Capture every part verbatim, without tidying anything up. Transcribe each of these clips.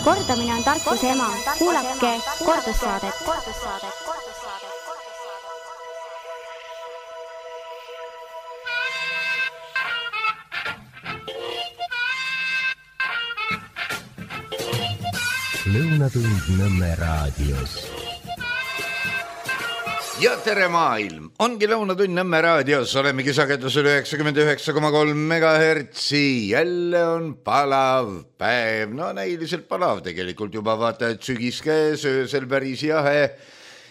Kordamine on tarkuse ema. Kuulake kordussaadet. Lõunatund Nõmme raadios. Ja tere maailm! Ongi Lõunatund Nõmme raadios. Olemegi sagedusel üheksakümmend üheksa koma kolm megahertsi. Jälle on palav päev. No näiliselt palav tegelikult juba vaata, et sügis käes, öösel päris jahe.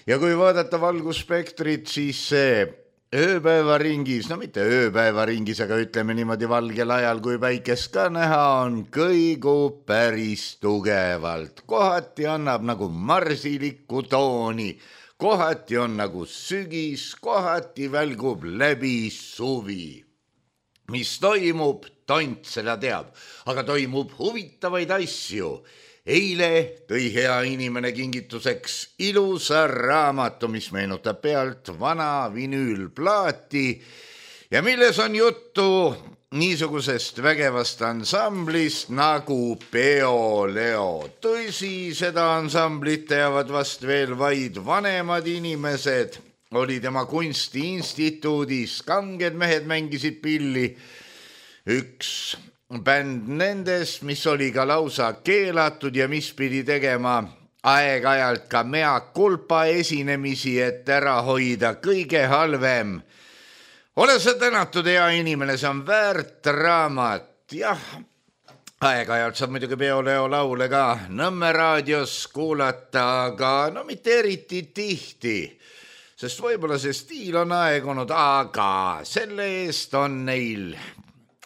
Ja kui vaadata valgusspektrit, siis see ööpäevaringis, no mitte ööpäevaringis, aga ütleme niimoodi valgel ajal, kui päikest ka näha on, kõigub päris tugevalt. Kohati annab nagu marsilikku tooni. Kohati on nagu sügis, kohati välgub läbi suvi. Mis toimub, tont seda teab, aga toimub huvitavaid asju. Eile tõi hea inimene kingituseks ilusa raamatu, mis meenutab pealt vana vinüülplaati ja milles on juttu niisugusest vägevast ansamblist nagu Peo Leo. Tõsi, seda ansamblit teavad vast veel vaid vanemad inimesed. Oli tema kunstiinstituudis, kanged mehed mängisid pilli. Üks bänd nendest, mis oli ka lausa keelatud ja mis pidi tegema aeg-ajalt ka mea culpa esinemisi, et ära hoida kõige halvem. Ole sa tänatud, hea inimene, see on väärt raamat. Jah, aeg-ajalt saab muidugi Peo Leo laule ka Nõmme raadios kuulata, aga no mitte eriti tihti, sest võib-olla see stiil on aegunud, aga selle eest on neil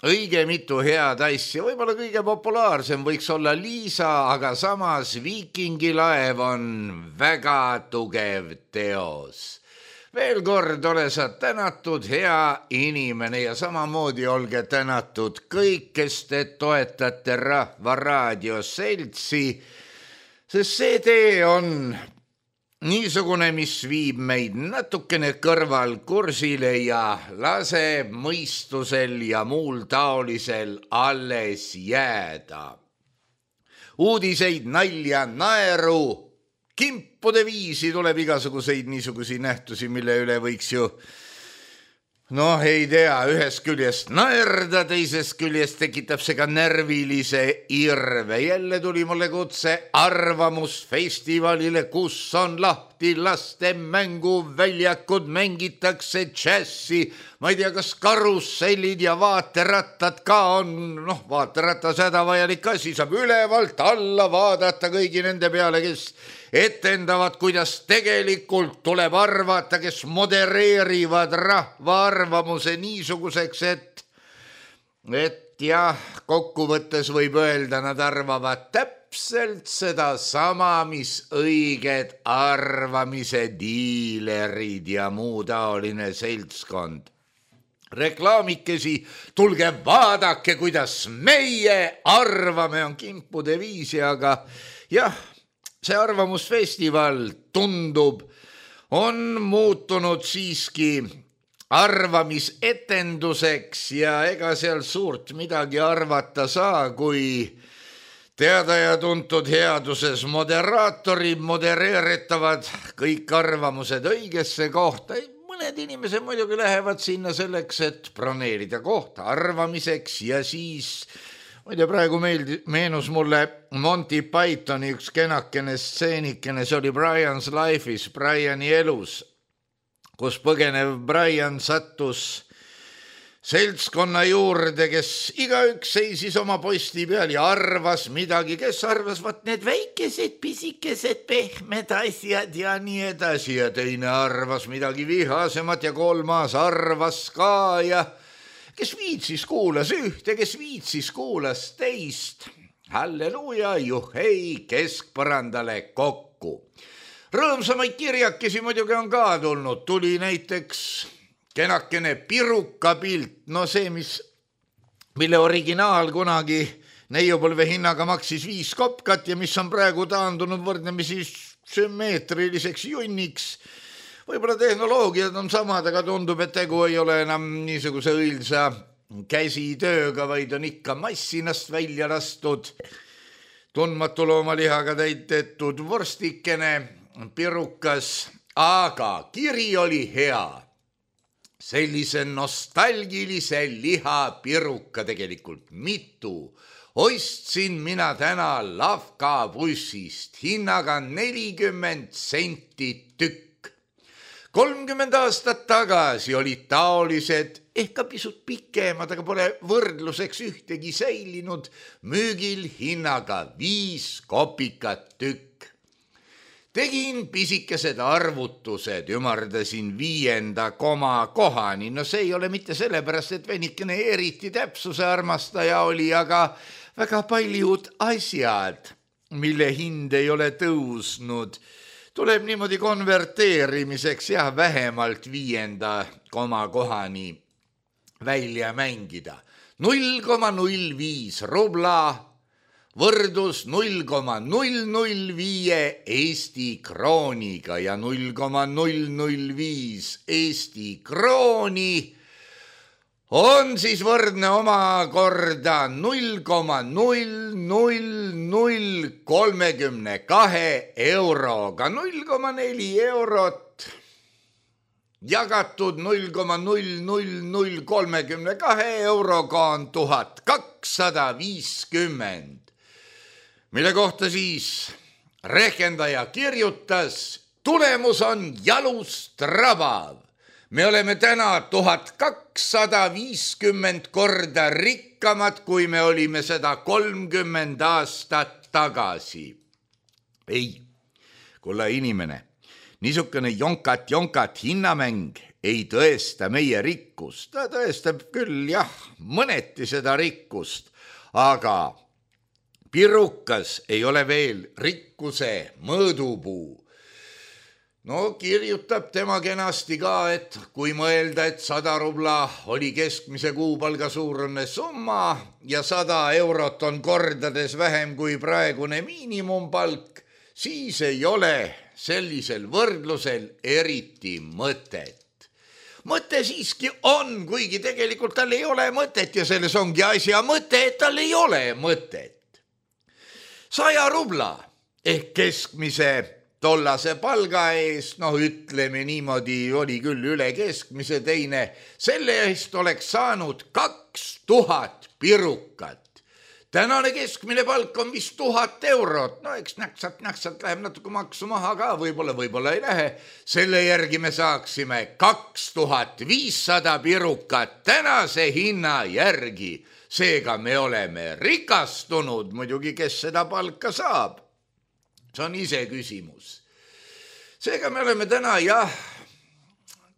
õige mitu head asja. Võib-olla kõige populaarsem võiks olla Liisa, aga samas Viikingilaev on väga tugev teos. Veel kord ole sa tänatud, hea inimene, ja samamoodi olge tänatud kõik, kes te toetate Rahva Raadio seltsi, sest see tee on niisugune, mis viib meid natukene kõrval kursile ja laseb mõistusel ja muul taolisel alles jääda. Uudiseid, nalja, naeru, kimpude viisi tuleb igasuguseid niisugusi nähtusi, mille üle võiks ju, noh, ei tea, ühest küljest naerda, teisest küljest tekitab see ka närvilise irve. Jälle tuli mulle kutse arvamusfestivalile, kus on lahti laste mänguväljakud, mängitakse džässi. Ma ei tea, kas karussellid ja vaaterattad ka on, noh, vaateratas hädavajalik asi, saab ülevalt alla vaadata kõigi nende peale, kes etendavad, kuidas tegelikult tuleb arvata, kes modereerivad rahva arvamuse niisuguseks, et, et jah, kokkuvõttes võib öelda, nad arvavad täpselt seda sama, mis õiged arvamise diilerid ja muu taoline seltskond. Reklaamikesi, tulge vaadake, kuidas meie arvame, on kimpude viisi, aga jah, see arvamusfestival tundub, on muutunud siiski arvamisetenduseks ja ega seal suurt midagi arvata saa, kui teada ja tuntud headuses moderaatorid modereeritavad kõik arvamused õigesse kohta. Mõned inimesed muidugi lähevad sinna selleks, et broneerida kohta arvamiseks ja siis ma ei tea, praegu meeldi, meenus mulle Monty Pythoni üks kenakene stseenikene, see oli Brian's Life'is, Briani elus, kus põgenev Brian sattus seltskonna juurde, kes igaüks seisis oma posti peal ja arvas midagi, kes arvas, vaat need väikesed, pisikesed, pehmed asjad ja nii edasi, ja teine arvas midagi vihasemat ja kolmas arvas ka ja kes viitsis kuulas ühte, kes viitsis kuulas teist. Halleluuja, juhei, keskpõrandale kokku. Rõõmsamaid kirjakesi muidugi on ka tulnud. Tuli näiteks kenakene pirukapilt, no see, mis, mille originaal kunagi neiupõlve hinnaga maksis viis kopkat ja mis on praegu taandunud võrdlemisi sümmeetriliseks junniks. Võib-olla tehnoloogiad on samad, aga tundub, et tegu ei ole enam niisuguse õilsa käsitööga, vaid on ikka massinast välja lastud tundmatu loomalihaga täitetud vorstikene, pirukas, aga kiri oli hea. Sellise nostalgilise lihapiruka tegelikult mitu ostsin mina täna Lavka bussist hinnaga nelikümmend senti tükk. kolmkümmend aastat tagasi olid taolised, ehk ka pisut pikemad, aga pole võrdluseks ühtegi säilinud, müügil hinnaga viis kopikat tükk. Tegin pisikesed arvutused, ümardasin viienda koma kohani. No see ei ole mitte sellepärast, et venikene eriti täpsuse armastaja oli, aga väga paljud asjad, mille hind ei ole tõusnud, tuleb niimoodi konverteerimiseks jah, vähemalt viienda koma kohani välja mängida. null koma null viis rubla võrdus null koma null null viis Eesti krooniga ja null koma null null viis Eesti krooni on siis võrdne omakorda null koma null null null kolmekümne kahe euroga. null koma neli eurot jagatud null koma null null null kolmekümne kahe euroga on tuhat kakssada viiskümmend. Mille kohta siis rehkendaja kirjutas, tulemus on jalust rabav. Me oleme täna tuhat kakssada viiskümmend korda rikkamad, kui me olime seda kolmkümmend aastat tagasi. Ei, kulla inimene, niisugune jonkat-jonkat hinnamäng ei tõesta meie rikkust. Ta tõestab küll, jah, mõneti seda rikkust, aga pirukas ei ole veel rikkuse mõõdupuu. No kirjutab tema kenasti ka, et kui mõelda, et sada rubla oli keskmise kuupalga suurune summa ja sada eurot on kordades vähem kui praegune miinimumpalk, siis ei ole sellisel võrdlusel eriti mõtet. Mõte siiski on, kuigi tegelikult tal ei ole mõtet ja selles ongi asja mõte, et tal ei ole mõtet. Saja rubla ehk keskmise tollase palga eest, noh ütleme niimoodi, oli küll üle keskmise teine, selle eest oleks saanud kaks tuhat pirukat. Tänane keskmine palk on vist tuhat eurot, no eks näksalt-näksalt läheb natuke maksu maha ka, võib-olla, võib-olla ei lähe. Selle järgi me saaksime kaks tuhat viissada pirukat tänase hinna järgi. Seega me oleme rikastunud, muidugi kes seda palka saab. See on ise küsimus. Seega me oleme täna, jah,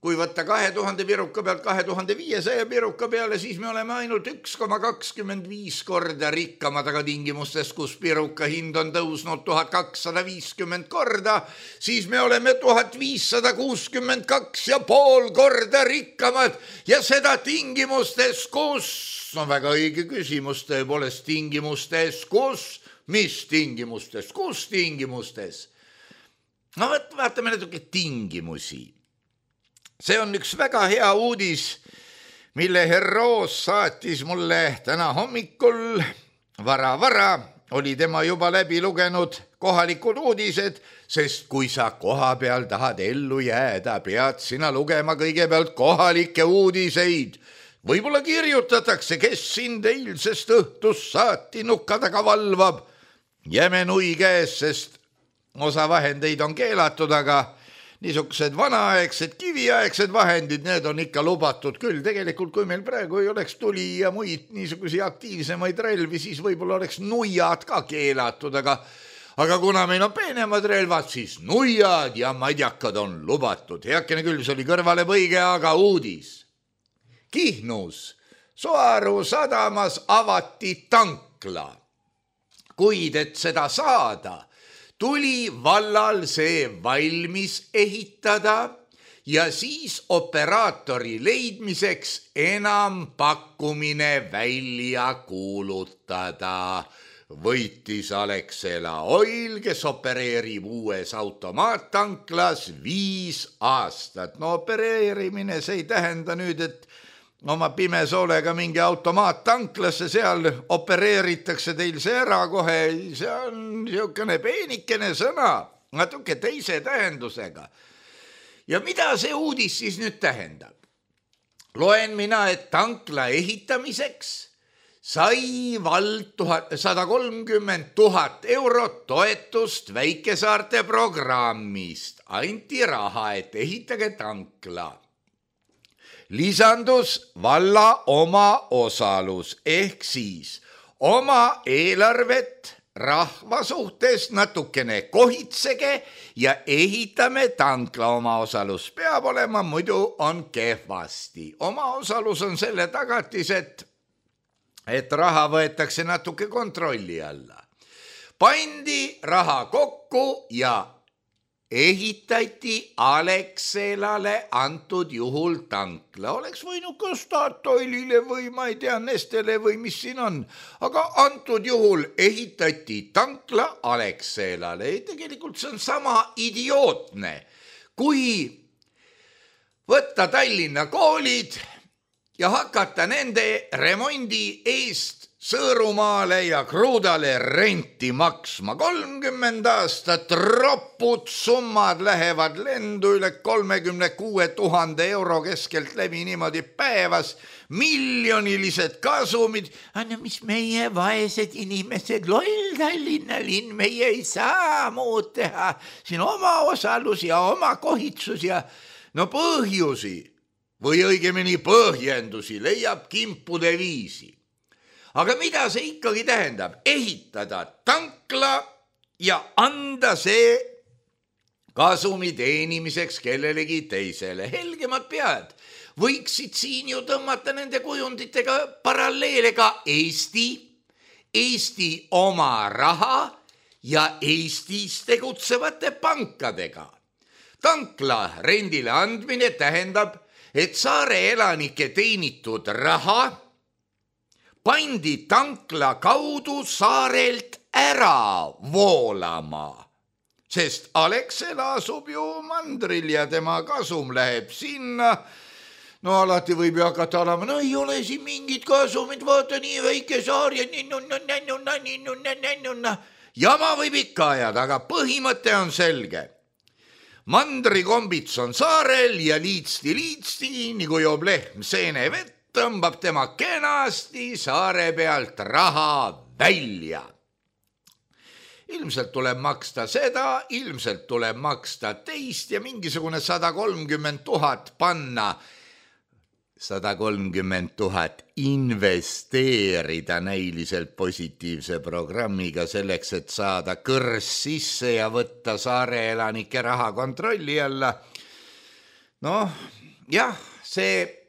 kui võtta kahe tuhande piruka pealt kahe tuhande viiesaja piruka peale, siis me oleme ainult üks koma kakskümmend viis korda rikkamad, aga tingimustes, kus piruka hind on tõusnud tuhat kakssada viiskümmend korda, siis me oleme tuhat viissada kuuskümmend kaks ja pool korda rikkamad ja seda tingimustes, kus, no väga õige küsimus, tõepoolest tingimustes, kus, mis tingimustes, kus tingimustes? No võt, vaatame natuke tingimusi. See on üks väga hea uudis, mille Herroos saatis mulle täna hommikul. Vara-vara oli tema juba läbi lugenud kohalikud uudised, sest kui sa koha peal tahad ellu jääda, pead sina lugema kõigepealt kohalikke uudiseid. Võib-olla kirjutatakse, kes sind eilsest õhtust saati nukka taga valvab. Jäme nui käes, sest osa vahendeid on keelatud, aga niisugused vanaaegsed, kiviaegsed vahendid, need on ikka lubatud küll. Tegelikult, kui meil praegu ei oleks tuli ja muid niisugusi aktiivsemaid relvi, siis võib-olla oleks nuiad ka keelatud, aga, aga kuna meil on peenemad relvad, siis nuiad ja madjakad on lubatud. Heakene küll, see oli kõrvale põige, aga uudis. Kihnus Soaru sadamas avati tankla, kuid et seda saada, tuli vallal see valmis ehitada ja siis operaatori leidmiseks enam pakkumine välja kuulutada. Võitis Alexela Oil, kes opereerib uues automaattanklas viis aastat. No opereerimine, see ei tähenda nüüd, et oma pimesoolega mingi automaat tanklasse, seal opereeritakse teil see ära kohe, see on niisugune peenikene sõna, natuke teise tähendusega. Ja mida see uudis siis nüüd tähendab? Loen mina, et tankla ehitamiseks sai vald sada kolmkümmend tuhat eurot toetust väikesaarte programmist. Anti raha, et ehitage tankla. Lisandus valla oma osalus ehk siis oma eelarvet rahva suhtes natukene kohitsege ja ehitame tankla. Oma osalus peab olema, muidu on kehvasti. Oma osalus on selle tagatis, et et raha võetakse natuke kontrolli alla. Pandi raha kokku ja ehitati Alexelale antud juhul tankla. Oleks võinud ka Statoilile või ma ei tea, Nestele või mis siin on. Aga antud juhul ehitati tankla Alexelale. Tegelikult see on sama idiootne, kui võtta Tallinna koolid ja hakata nende remondi eest Sõõrumaale ja Kruudale renti maksma. kolmkümmend aastat ropud summad lähevad lendu üle kolmekümne kuue tuhande euro keskelt läbi niimoodi päevas. Miljonilised kasumid. Anna, mis meie vaesed inimesed, loll Tallinna linn, meie ei saa muud teha. Siin oma osalus ja oma kohitsus ja no põhjusi või õigemini põhjendusi leiab kimpude viisi. Aga mida see ikkagi tähendab? Ehitada tankla ja anda see kasumi teenimiseks kellelegi teisele. Helgemad pead võiksid siin ju tõmmata nende kujunditega paralleele ka Eesti, Eesti oma raha ja Eestis tegutsevate pankadega. Tankla rendile andmine tähendab, et saare elanike teenitud raha pandi tankla kaudu saarelt ära voolama, sest Alexela asub ju mandril ja tema kasum läheb sinna. No alati võib ju hakata olema, no ei ole siin mingid kasumid, vaata nii väike saar ja jama võib ikka ajada, aga põhimõte on selge. Mandrikombits on saarel ja liitsti-liitsti, nagu joob lehm seene vett, tõmbab tema kenasti saare pealt raha välja. Ilmselt tuleb maksta seda, ilmselt tuleb maksta teist ja mingisugune sada kolmkümmend tuhat panna, sada kolmkümmend tuhat investeerida näiliselt positiivse programmiga selleks, et saada kõrs sisse ja võtta saare elanike raha kontrolli alla. Noh, jah, see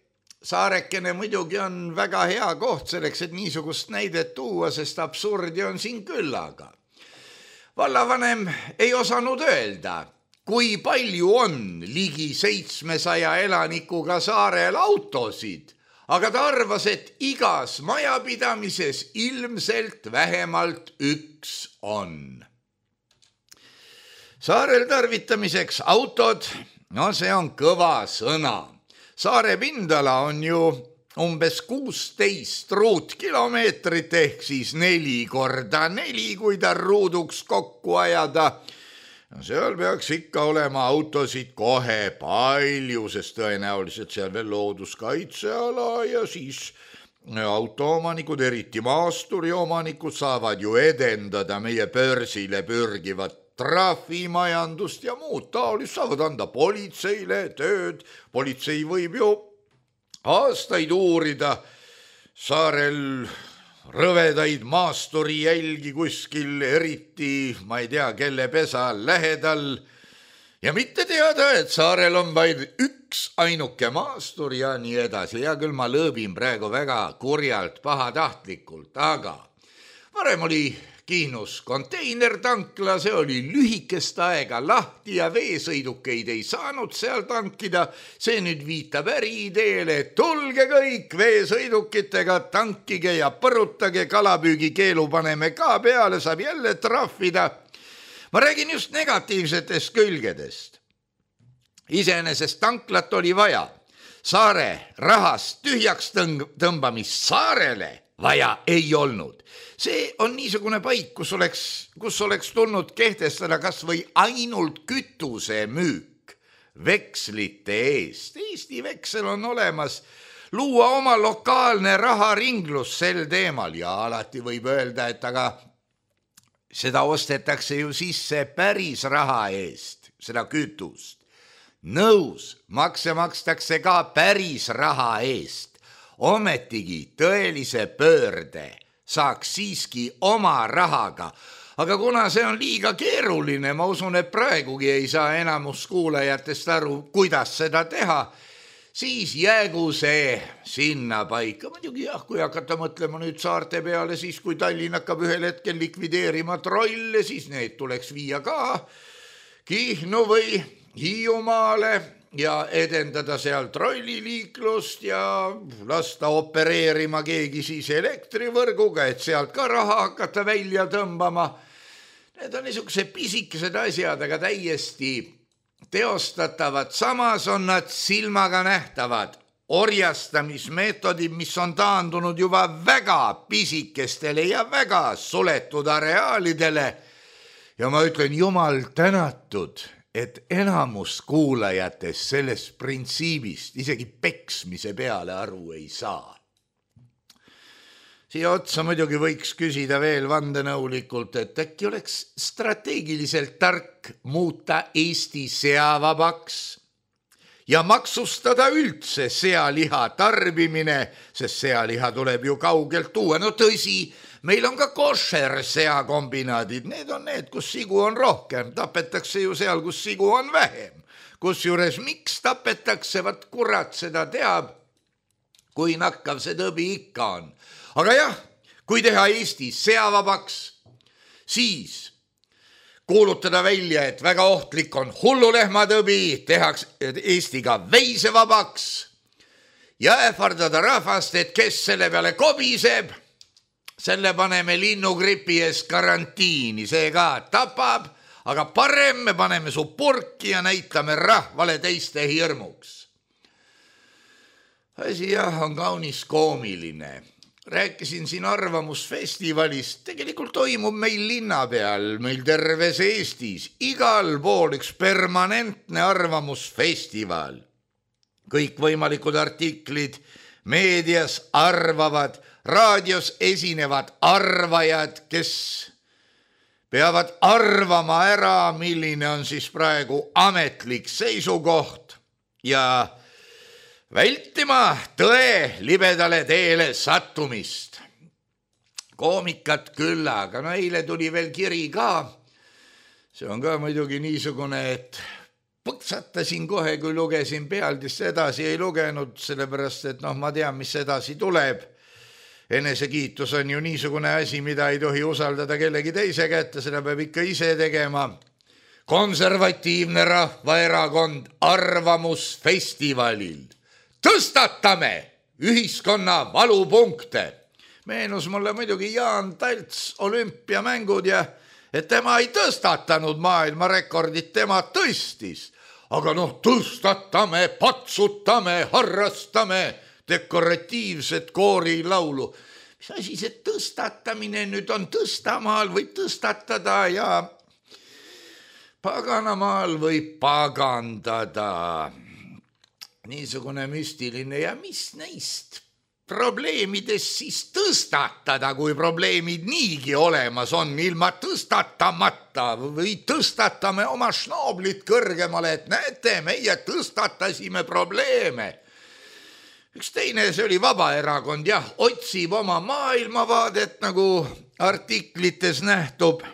saarekene muidugi on väga hea koht selleks, et niisugust näidet tuua, sest absurdi on siin küllaga. Vallavanem ei osanud öelda, kui palju on ligi seitsmesaja elanikuga saarel autosid, aga ta arvas, et igas majapidamises ilmselt vähemalt üks on. Saarel tarvitamiseks autod, no see on kõva sõna. Saare pindala on ju umbes kuusteist ruutkilomeetrit ehk siis neli korda neli, kui ta ruuduks kokku ajada. Seal peaks ikka olema autosid kohe palju, sest tõenäoliselt seal veel looduskaitseala ja siis autoomanikud, eriti maasturiomanikud saavad ju edendada meie börsile pürgivat trahvimajandust ja muud taolist, saavad anda politseile tööd. Politsei võib ju aastaid uurida saarel rõvedaid maasturi jälgi kuskil, eriti, ma ei tea, kelle pesa lähedal. Ja mitte teada, et saarel on vaid üks ainuke maastur ja nii edasi. Ja küll ma lõõbin praegu väga kurjalt pahatahtlikult, aga varem oli Kihnus konteinertankla, see oli lühikest aega lahti ja veesõidukeid ei saanud seal tankida. See nüüd viitab äriideele, et tulge kõik veesõidukitega, tankige ja põrutage, kalapüügi keelu paneme ka peale, saab jälle trahvida. Ma räägin just negatiivsetest külgedest. Iseenesest tanklat oli vaja. saare rahast tühjaks tõmbamist saarele vaja ei olnud. See on niisugune paik, kus oleks, kus oleks tulnud kehtestada kas või ainult kütuse müük vekslite eest. Eesti veksel on olemas, luua oma lokaalne raharinglus sel teemal ja alati võib öelda, et aga seda ostetakse ju sisse päris raha eest, seda kütust. Nõus, makse makstakse ka päris raha eest, ometigi tõelise pöörde saaks siiski oma rahaga, aga kuna see on liiga keeruline, ma usun, et praegugi ei saa enamus kuulajatest aru, kuidas seda teha, siis jäägu see sinna paika. Muidugi jah, kui hakata mõtlema nüüd saarte peale, siis kui Tallinn hakkab ühel hetkel likvideerima trolle, siis need tuleks viia ka Kihnu või Hiiumaale ja edendada seal trolliliiklust ja lasta opereerima keegi siis elektrivõrguga, et sealt ka raha hakata välja tõmbama. Need on niisugused pisikesed asjad, aga täiesti teostatavad. Samas on nad silmaga nähtavad orjastamismeetodid, mis on taandunud juba väga pisikestele ja väga suletud areaalidele. Ja ma ütlen, jumal tänatud, et enamus kuulajatest sellest printsiibist isegi peksmise peale aru ei saa. Siia otsa muidugi võiks küsida veel vandenõulikult, et äkki oleks strateegiliselt tark muuta Eesti seavabaks ja maksustada üldse sealiha tarbimine, sest sealiha tuleb ju kaugelt tuua. No tõsi, meil on ka košer seakombinaadid, need on need, kus sigu on rohkem, tapetakse ju seal, kus sigu on vähem. Kusjuures miks tapetakse, vat kurat seda teab, kui nakkav see tõbi ikka on. Aga jah, kui teha Eesti seavabaks, siis kuulutada välja, et väga ohtlik on hullulehmatõbi, tehaks Eesti ka veisevabaks ja ähvardada rahvast, et kes selle peale kobiseb, selle paneme linnugripi ees karantiini, see ka tapab, aga parem me paneme su purki ja näitame rahvale teiste hirmuks. Asi jah, on kaunis koomiline. Rääkisin siin arvamusfestivalist, tegelikult toimub meil linna peal, meil terves Eestis, igal pool üks permanentne arvamusfestival. Kõik võimalikud artiklid meedias arvavad, raadios esinevad arvajad, kes peavad arvama ära, milline on siis praegu ametlik seisukoht ja vältima tõe libedale teele sattumist. Koomikat küll, aga no eile tuli veel kiri ka. See on ka muidugi niisugune, et põksatasin kohe, kui lugesin pealdist, edasi ei lugenud, sellepärast, et noh, ma tean, mis edasi tuleb. Enesekiitus on ju niisugune asi, mida ei tohi usaldada kellegi teise kätte, seda peab ikka ise tegema. Konservatiivne Rahvaerakond arvamusfestivalil. Tõstatame ühiskonna valupunkte. Meenus mulle muidugi Jaan Talts olümpiamängud ja et tema ei tõstatanud maailma rekordit, tema tõstis. Aga noh, tõstatame, patsutame, harrastame dekoratiivset koorilaulu. Mis asi see tõstatamine nüüd on? Tõstamaal võib tõstatada ja paganamaal võib pagandada. Niisugune müstiline ja mis neist probleemidest siis tõstatada, kui probleemid niigi olemas on ilma tõstatamata või tõstatame oma šnooblit kõrgemale, et näete, meie tõstatasime probleeme. Üks teine, see oli Vabaerakond, jah, otsib oma maailmavaadet, nagu artiklites nähtub.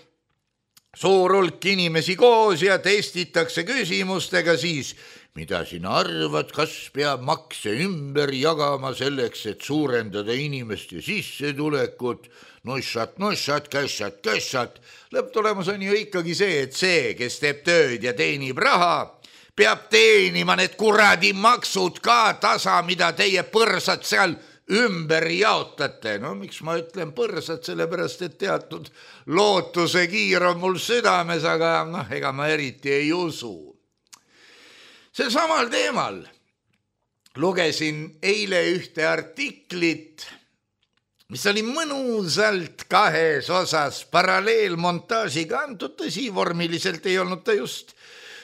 Suur hulk inimesi koos ja testitakse küsimustega siis, mida sina arvad, kas peab makse ümber jagama selleks, et suurendada inimeste sissetulekut, nossat, nossat, kässat, kässat. Lõpptulemus on ju ikkagi see, et see, kes teeb tööd ja teenib raha, peab teenima need kuradi maksud ka tasa, mida teie põrsad seal ümber jaotate. No miks ma ütlen põrsad, sellepärast, et teatud lootuse kiir on mul südames, aga noh, ega ma eriti ei usu. Sel samal teemal lugesin eile ühte artiklit, mis oli mõnusalt kahes osas paralleelmontaažiga antud, tõsi, vormiliselt ei olnud ta just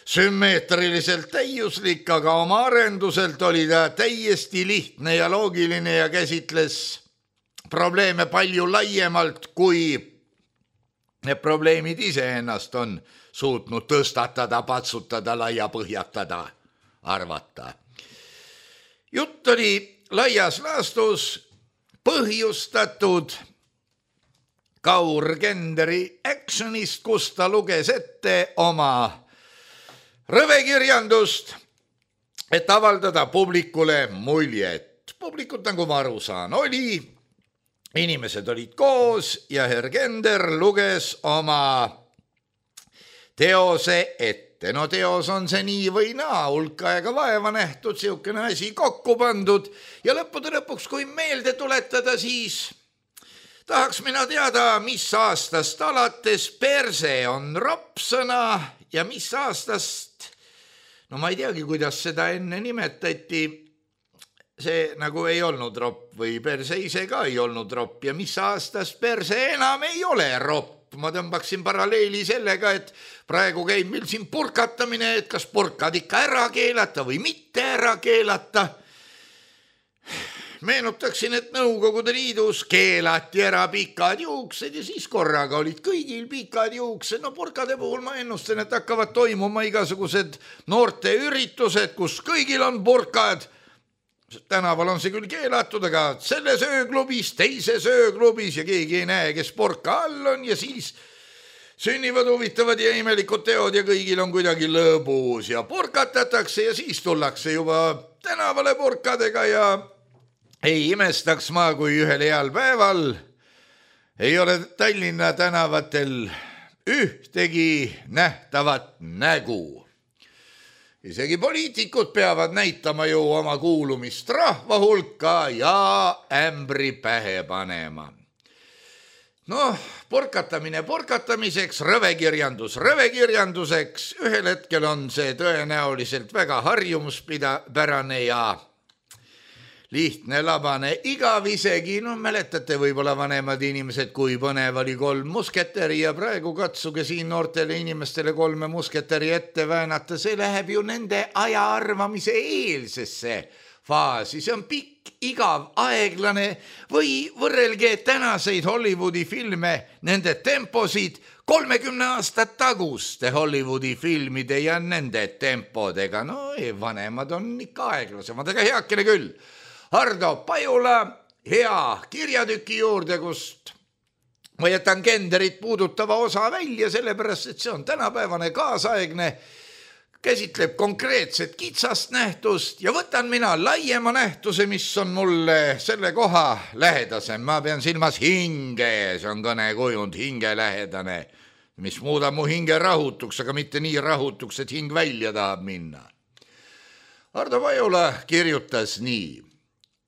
sümmeetriliselt täiuslik, aga oma arenduselt oli ta täiesti lihtne ja loogiline ja käsitles probleeme palju laiemalt, kui need probleemid iseennast on suutnud tõstatada, patsutada, laiapõhjatada, arvata. Jutt oli laias laastus põhjustatud Kaur-Kenderi actionist, kus ta luges ette oma rõvekirjandust, et avaldada publikule muljet. Publikut, nagu ma aru saan, oli, inimesed olid koos ja Herr Kender luges oma teose ette. No teos on see nii või naa, hulk aega vaeva nähtud, siukene asi kokku pandud ja lõppude lõpuks, kui meelde tuletada, siis tahaks mina teada, mis aastast alates perse on ropsõna ja mis aastast, no ma ei teagi, kuidas seda enne nimetati, see nagu ei olnud ropp või perse ise ka ei olnud ropp ja mis aastast perse enam ei ole ropp. Ma tõmbaksin paralleeli sellega, et praegu käib meil siin purkatamine, et kas purkad ikka ära keelata või mitte ära keelata. Meenutaksin, et Nõukogude Liidus keelati ära pikad juuksed ja siis korraga olid kõigil pikad juuksed. No purkade puhul ma ennustan, et hakkavad toimuma igasugused noorte üritused, kus kõigil on purkad. Tänaval on see küll keelatud, aga selles ööklubis, teises ööklubis ja keegi ei näe, kes purka all on ja siis sünnivad huvitavad ja imelikud teod ja kõigil on kuidagi lõbus ja purkatatakse ja siis tullakse juba tänavale purkadega ja ei imestaks ma, kui ühel heal päeval ei ole Tallinna tänavatel ühtegi nähtavat nägu. Isegi poliitikud peavad näitama ju oma kuulumist rahva hulka ja ämbri pähe panema. Noh, purkatamine purkatamiseks, rõvekirjandus rõvekirjanduseks, ühel hetkel on see tõenäoliselt väga harjumuspärane ja lihtne, labane, igav isegi, no mäletate võib-olla vanemad inimesed, kui põnev oli kolm musketäri ja praegu katsuge siin noortele inimestele kolme musketäri ette väänata, see läheb ju nende aja arvamise eelsesse faasi, see on pikk, igav, aeglane või võrrelge tänaseid Hollywoodi filme, nende temposid kolmekümne aastat taguste Hollywoodi filmide ja nende tempodega, no ei, vanemad on ikka aeglasemad, aga heakene küll. Hardo Pajula hea kirjatüki juurde, kust ma jätan Kenderit puudutava osa välja, sellepärast, et see on tänapäevane kaasaegne, käsitleb konkreetset kitsast nähtust ja võtan mina laiema nähtuse, mis on mulle selle koha lähedasem. Ma pean silmas hinge, see on kõnekujund, hingelähedane, mis muudab mu hinge rahutuks, aga mitte nii rahutuks, et hing välja tahab minna. Hardo Pajula kirjutas nii.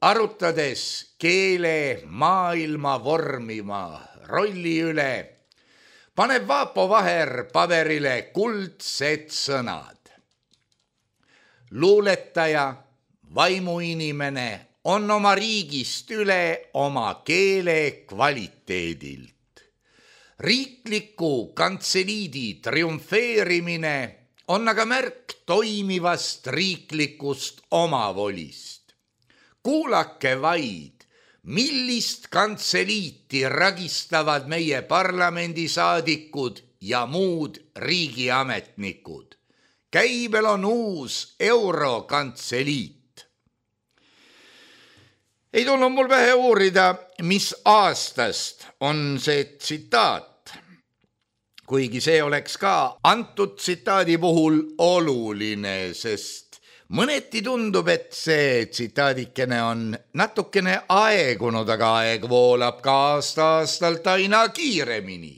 Arutades keele maailma vormima rolli üle, paneb Vaapo Vaher paberile kuldsed sõnad. Luuletaja, vaimuinimene on oma riigist üle oma keele kvaliteedilt. Riikliku kantseliidi triumfeerimine on aga märk toimivast riiklikust omavolist. Kuulake vaid, millist kantseliiti ragistavad meie parlamendisaadikud ja muud riigiametnikud. Käibel on uus eurokantseliit. Ei tulnud mul pähe uurida, mis aastast on see tsitaat, kuigi see oleks ka antud tsitaadi puhul oluline, sest mõneti tundub, et see tsitaadikene on natukene aegunud, aga aeg voolab ka aasta-aastalt aina kiiremini.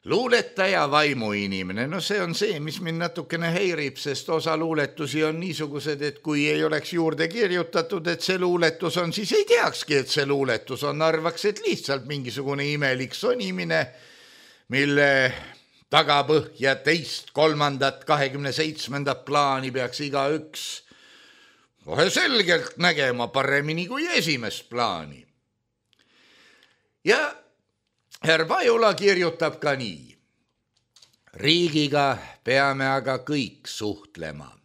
Luuletaja, vaimuinimene, no see on see, mis mind natukene häirib, sest osa luuletusi on niisugused, et kui ei oleks juurde kirjutatud, et see luuletus on, siis ei teakski, et see luuletus on, arvaks, et lihtsalt mingisugune imelik sonimine, mille tagapõhja teist, kolmandat, kahekümne seitsmendat plaani peaks iga üks kohe selgelt nägema paremini kui esimest plaani. Ja härra Pajula kirjutab ka nii. Riigiga peame aga kõik suhtlema.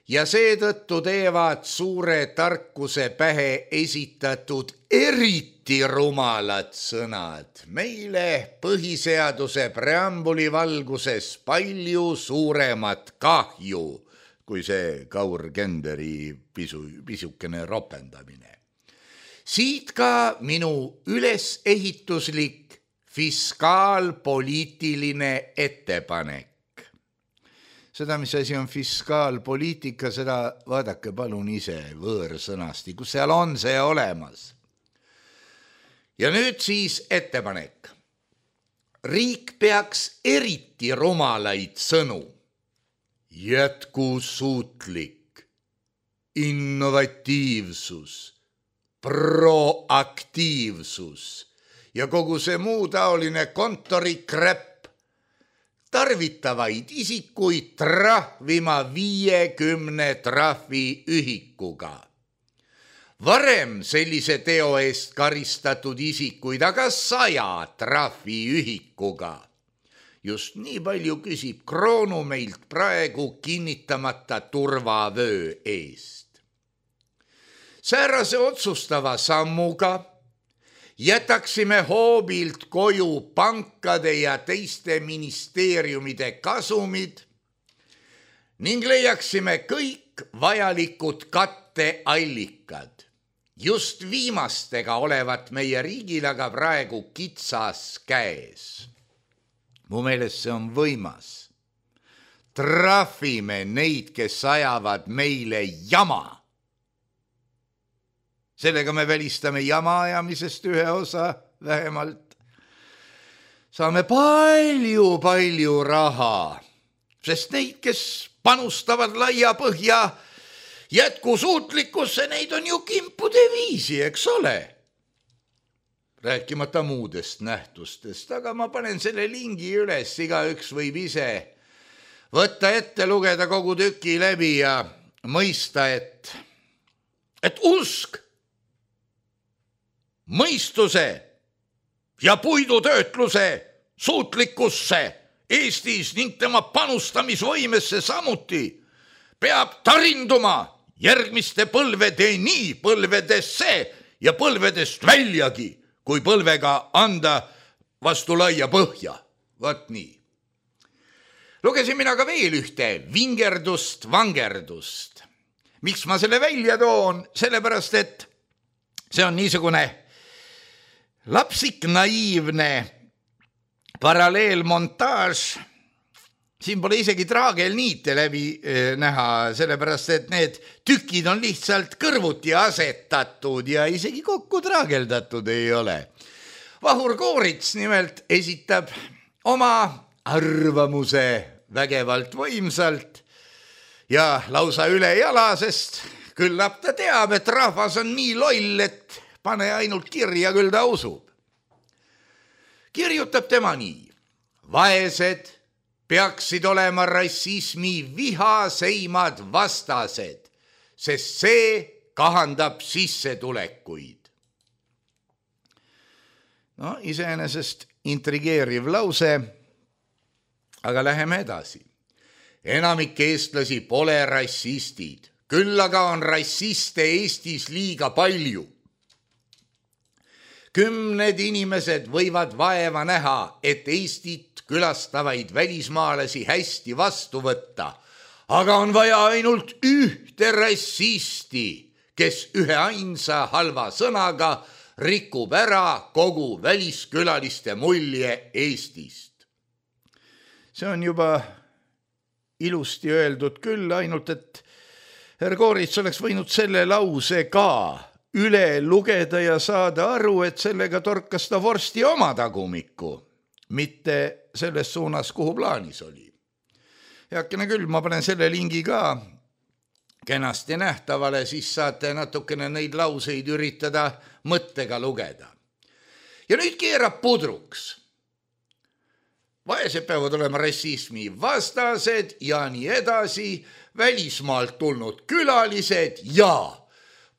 Ja seetõttu teevad suure tarkuse pähe esitatud eriti rumalad sõnad meile põhiseaduse preambuli valguses palju suuremat kahju, kui see Kaur Kenderi pisu, pisukene ropendamine. Siit ka minu ülesehituslik fiskaalpoliitiline ettepanek. Seda, mis asi on fiskaalpoliitika, seda vaadake palun ise võõrsõnasti, kus seal on see olemas. Ja nüüd siis ettepanek. Riik peaks eriti rumalaid sõnu. Jätkusuutlik, innovatiivsus, proaktiivsus ja kogu see muu taoline kontorikräpp tarvitavaid isikuid trahvima viiekümne trahvi ühikuga. Varem sellise teo eest karistatud isikuid aga saja trahvi ühikuga. Just nii palju küsib kroonu meilt praegu kinnitamata turvavöö eest. Säärase otsustava sammuga jätaksime hoobilt koju pankade ja teiste ministeeriumide kasumid ning leiaksime kõik vajalikud katteallikad. Just viimastega olevat meie riigil aga praegu kitsas käes. Mu meelest see on võimas. Trahvime neid, kes ajavad meile jama. Sellega me välistame jama ajamisest ühe osa vähemalt. Saame palju, palju raha, sest neid, kes panustavad laia põhja jätkusuutlikkusse, neid on ju kimpude viisi, eks ole. Rääkimata muudest nähtustest, aga ma panen selle lingi üles, igaüks võib ise võtta ette, lugeda kogu tüki läbi ja mõista, et, et usk mõistuse ja puidutöötluse suutlikkusse Eestis ning tema panustamisvõimesse samuti peab tarinduma järgmiste põlvedeni, põlvedesse ja põlvedest väljagi, kui põlvega anda vastu laia põhja. Vaat nii. Lugesin mina ka veel ühte vingerdust, vangerdust. Miks ma selle välja toon? Sellepärast, et see on niisugune lapsik naiivne paralleelmontaaž. Siin pole isegi traagelniite läbi näha, sellepärast et need tükid on lihtsalt kõrvuti asetatud ja isegi kokku traageldatud ei ole. Vahur Koorits nimelt esitab oma arvamuse vägevalt võimsalt ja lausa üle jala, sest küllap ta teab, et rahvas on nii loll, et pane ainult kirja, küll ta usub. Kirjutab tema nii. Vaesed peaksid olema rassismi vihaseimad vastased, sest see kahandab sissetulekuid. No, iseenesest intrigeeriv lause, aga läheme edasi. Enamik eestlasi pole rassistid, küll aga on rassiste Eestis liiga palju. Kümned inimesed võivad vaeva näha, et Eestit külastavaid välismaalasi hästi vastu võtta, aga on vaja ainult ühte rassisti, kes ühe ainsa halva sõnaga rikub ära kogu väliskülaliste mulje Eestist. See on juba ilusti öeldud küll, ainult et härra Koorits oleks võinud selle lause ka üle lugeda ja saada aru, et sellega torkas ta vorsti oma tagumikku, mitte selles suunas, kuhu plaanis oli. Heakene küll, ma panen selle lingi ka kenasti nähtavale, siis saate natukene neid lauseid üritada mõttega lugeda. Ja nüüd keerab pudruks. Vaesed peavad olema rassismi vastased ja nii edasi. välismaalt tulnud külalised ja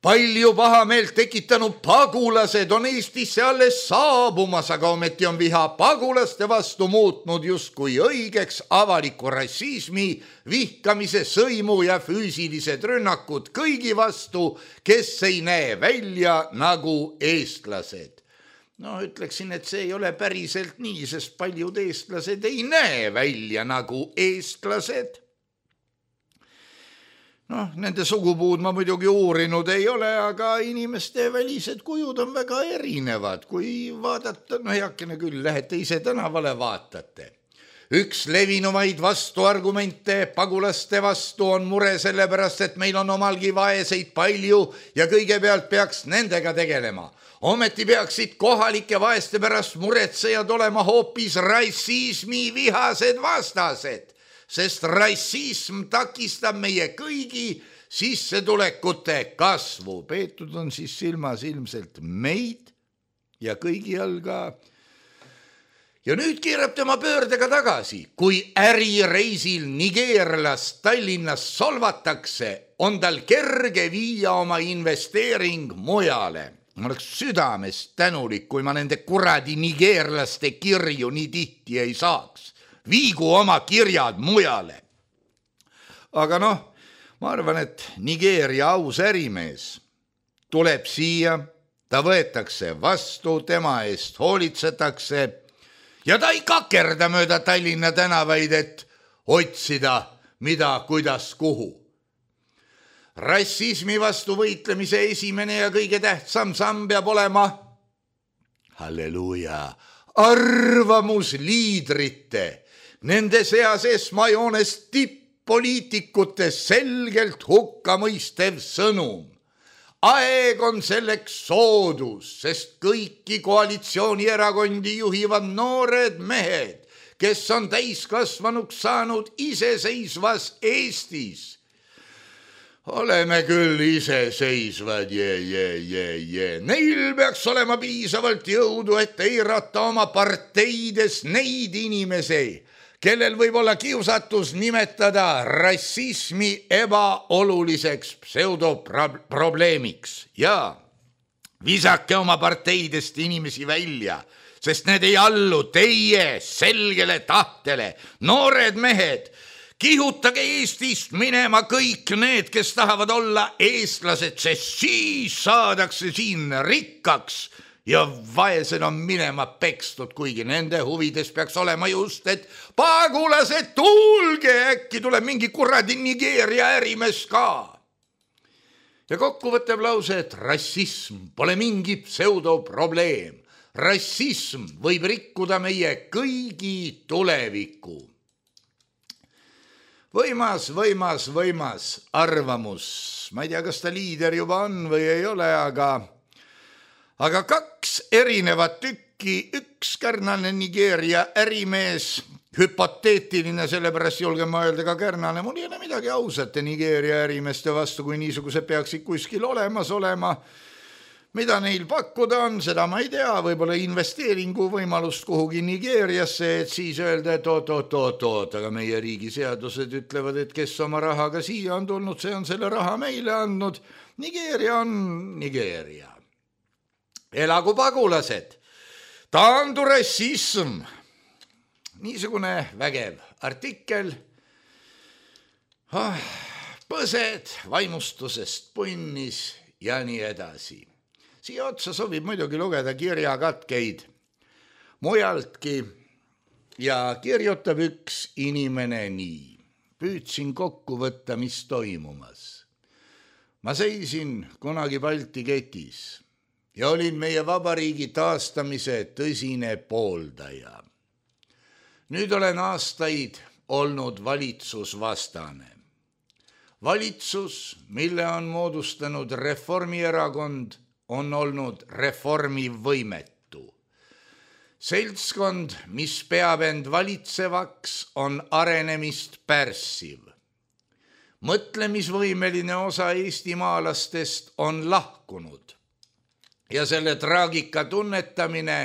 palju pahameelt tekitanud pagulased on Eestisse alles saabumas, aga ometi on viha pagulaste vastu muutnud justkui õigeks avaliku rassismi, vihkamise, sõimu ja füüsilised rünnakud kõigi vastu, kes ei näe välja nagu eestlased. No ütleksin, et see ei ole päriselt nii, sest paljud eestlased ei näe välja nagu eestlased. Noh, nende sugupuud ma muidugi uurinud ei ole, aga inimeste välised kujud on väga erinevad. Kui vaadata, no heakene küll, lähete ise tänavale vaatate. Üks levinumaid vastuargumente pagulaste vastu on mure sellepärast, et meil on omalgi vaeseid palju ja kõigepealt peaks nendega tegelema. Ometi peaksid kohalike vaeste pärast muretsejad olema hoopis rassismi vihased vastased. Sest rassism takistab meie kõigi sissetulekute kasvu. Peetud on siis silmas ilmselt meid ja kõigi all ka. Ja nüüd keerab tema pöördega tagasi. Kui ärireisil nigeerlast Tallinnas solvatakse, on tal kerge viia oma investeering mujale. Ma oleks südamest tänulik, kui ma nende kuradi nigeerlaste kirju nii tihti ei saaks. Viigu oma kirjad mujale. Aga noh, ma arvan, et Nigeeria aus ärimees tuleb siia, ta võetakse vastu, tema eest hoolitsetakse ja ta ei kakerda mööda Tallinna tänavaid, et otsida mida, kuidas, kuhu. Rassismi vastu võitlemise esimene ja kõige tähtsam samm peab olema, halleluuja, arvamusliidrite, nende seas esmajoones tipp-poliitikute selgelt hukkamõistev sõnum. Aeg on selleks soodus, sest kõiki koalitsioonierakondi juhivad noored mehed, kes on täiskasvanuks saanud iseseisvas Eestis. Oleme küll iseseisvad, jee, jee, jee, jee. Neil peaks olema piisavalt jõudu, et eirata oma parteides neid inimesi, kellel võib olla kiusatus nimetada rassismi ebaoluliseks pseudoprobleemiks. Ja visake oma parteidest inimesi välja, sest need ei allu teie selgele tahtele. Noored mehed, kihutage Eestist minema kõik need, kes tahavad olla eestlased, sest siis saadakse siin rikkaks ja vaesed on minema pekstud, kuigi nende huvides peaks olema just, et pagulased, tulge, äkki tuleb mingi kuradi Nigeeria ärimees ka. Ja kokkuvõttev lause, et rassism pole mingi pseudoprobleem. Rassism võib rikkuda meie kõigi tuleviku. Võimas, võimas, võimas arvamus. Ma ei tea, kas ta liider juba on või ei ole, aga, aga kaks erinevat tükki, üks kärnane Nigeeria ärimees, hüpoteetiline, sellepärast julgen ma öelda ka kärnane, mul ei ole midagi ausate Nigeeria ärimeeste vastu, kui niisugused peaksid kuskil olemas olema. Mida neil pakkuda on, seda ma ei tea, võib-olla investeeringu võimalust kuhugi Nigeeriasse, et siis öelda, et oot, oot, oot, oot, aga meie riigi seadused ütlevad, et kes oma rahaga siia on tulnud, see on selle raha meile andnud. Nigeeria on Nigeeria. Elagu pagulased. Taandu rassism. Niisugune vägev artikkel. Oh, põsed vaimustusest punnis ja nii edasi. Siia otsa sobib muidugi lugeda kirjakatkeid mujaltki ja kirjutab üks inimene nii. Püüdsin kokku võtta, mis toimumas. Ma seisin kunagi Balti ketis ja olin meie vabariigi taastamise tõsine pooldaja. Nüüd olen aastaid olnud valitsusvastane. Valitsus, mille on moodustanud Reformierakond, on olnud reformivõimetu. Seltskond, mis peab end valitsevaks, on arenemist pärssiv. Mõtlemisvõimeline osa eestimaalastest on lahkunud ja selle traagika tunnetamine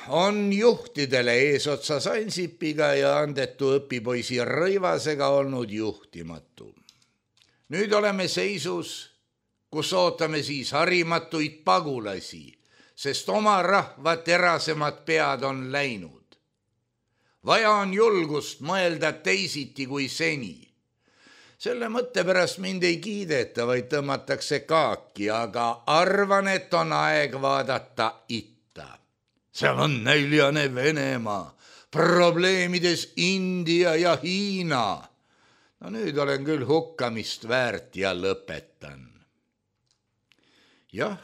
on juhtidele eesotsas Ansipiga ja andetu õpipoisi Rõivasega olnud juhtimatu. Nüüd oleme seisus, kus ootame siis harimatuid pagulasi, sest oma rahva terasemad pead on läinud. Vaja on julgust mõelda teisiti kui seni. Selle mõtte pärast mind ei kiideta, vaid tõmmatakse kaaki, aga arvan, et on aeg vaadata itta. Seal on näljane Venemaa, probleemides India ja Hiina. No nüüd olen küll hukkamist väärt ja lõpetan. Jah,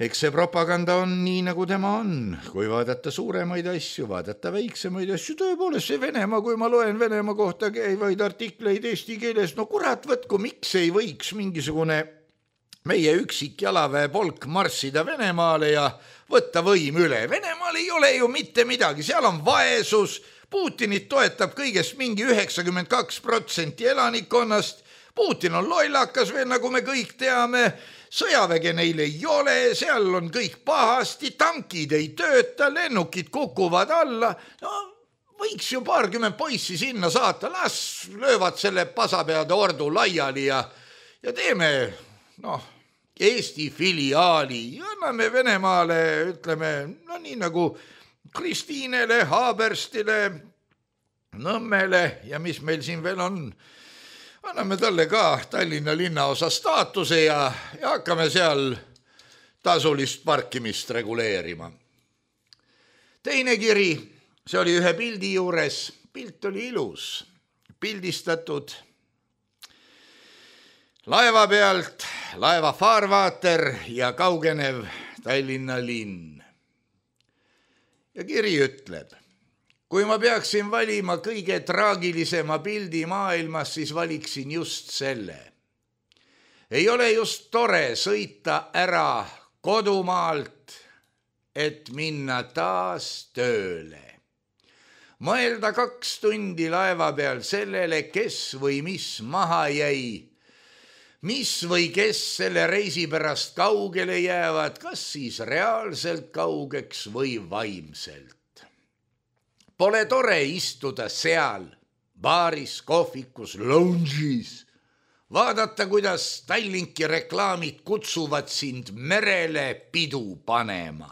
eks see propaganda on nii, nagu tema on. Kui vaadata suuremaid asju, vaadata väiksemaid asju, tõepoolest see Venemaa, kui ma loen Venemaa kohta käivaid artikleid eesti keeles, no kurat võtku, miks ei võiks mingisugune meie üksik jalaväe polk marssida Venemaale ja võtta võim üle. Venemaal ei ole ju mitte midagi, seal on vaesus, Putinit toetab kõigest mingi üheksakümmend kaks protsenti elanikkonnast, Putin on lollakas veel, nagu me kõik teame, sõjaväge neil ei ole, seal on kõik pahasti, tankid ei tööta, lennukid kukuvad alla, no võiks ju paarkümmend poissi sinna saata, las löövad selle pasapeade ordu laiali ja, ja teeme, noh, Eesti filiaali, anname Venemaale, ütleme, no nii nagu Kristiinele, Haaberstile, Nõmmele ja mis meil siin veel on, anname talle ka Tallinna linnaosa staatuse ja, ja hakkame seal tasulist parkimist reguleerima. Teine kiri, see oli ühe pildi juures, pilt oli ilus, pildistatud laeva pealt, laeva faarvaater ja kaugenev Tallinna linn. Ja kiri ütleb, kui ma peaksin valima kõige traagilisema pildi maailmas, siis valiksin just selle. Ei ole just tore sõita ära kodumaalt, et minna taas tööle. Mõelda kaks tundi laeva peal sellele, kes või mis maha jäi, mis või kes selle reisi pärast kaugele jäävad, kas siis reaalselt kaugeks või vaimselt. Pole tore istuda seal, baaris, kohvikus, lounge'is, vaadata, kuidas Tallinki reklaamid kutsuvad sind merele pidu panema.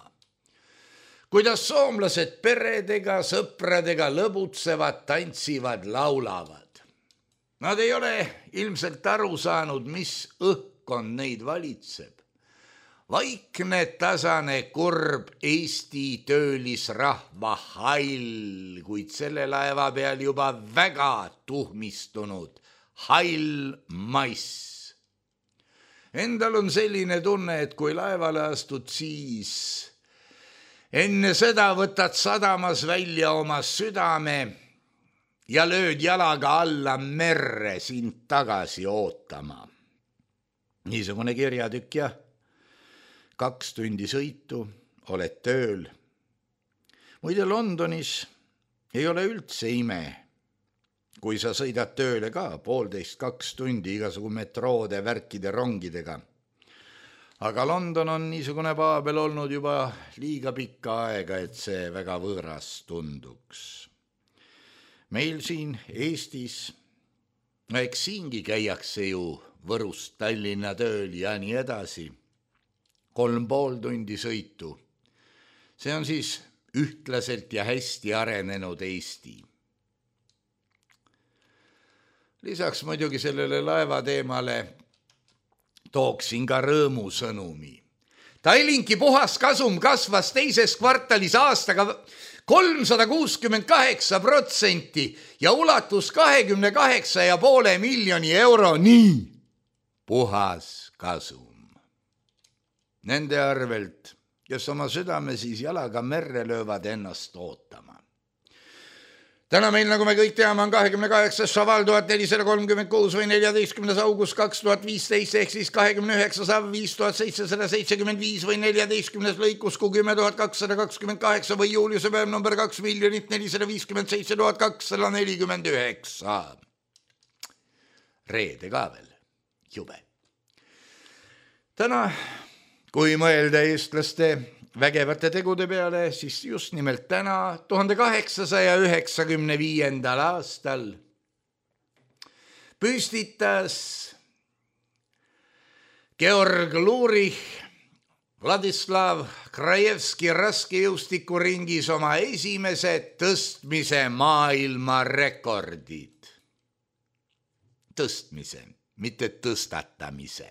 Kuidas soomlased peredega, sõpradega lõbutsevad, tantsivad, laulavad. Nad ei ole ilmselt aru saanud, mis õhkkond neid valitseb. Vaikne, tasane, kurb Eesti töölisrahva hall, kuid selle laeva peal juba väga tuhmistunud hall mass. Endal on selline tunne, et kui laevale astud, siis enne seda võtad sadamas välja oma südame ja lööd jalaga alla merre sind tagasi ootama. Niisugune kirjatükk ja kaks tundi sõitu, oled tööl. Muide Londonis ei ole üldse ime, kui sa sõidad tööle ka poolteist kaks tundi igasugu metroode, värkide, rongidega. Aga London on niisugune paabel olnud juba liiga pikka aega, et see väga võõras tunduks. Meil siin Eestis, eks siingi käiakse ju Võrust Tallinna tööl ja nii edasi. Kolm pool tundi sõitu. See on siis ühtlaselt ja hästi arenenud Eesti. Lisaks muidugi sellele laevateemale tooksin ka rõõmusõnumi. Tallinki puhas kasum kasvas teises kvartalis aastaga kolmsada kuuskümmend kaheksa protsenti ja ulatus kahekümne kaheksa ja poole miljoni euro, nii puhas kasum. Nende arvelt, kes oma südame siis jalaga merre löövad ennast ootama. Täna meil, nagu me kõik teame, on kahekümne kaheksas šaval tuhat nelisada kolmkümmend kuus või neljateistkümnes august kaks tuhat viisteist ehk siis kahekümne üheksas av viis tuhat seitsesada seitsekümmend viis või neljateistkümnes lõikuskuu kümme tuhat kakssada kakskümmend kaheksa või juuliuse päev number kaks miljonit nelisada viiskümmend seitse tuhat kakssada nelikümmend üheksa. Reede ka veel, jube. Täna, kui mõelda eestlaste vägevate tegude peale, siis just nimelt täna, tuhande kaheksasaja üheksakümne viiendal aastal püstitas Georg Lurich Vladislav Krajevski raskejõustikuringis oma esimese tõstmise maailmarekordid. Tõstmise, mitte tõstatamise,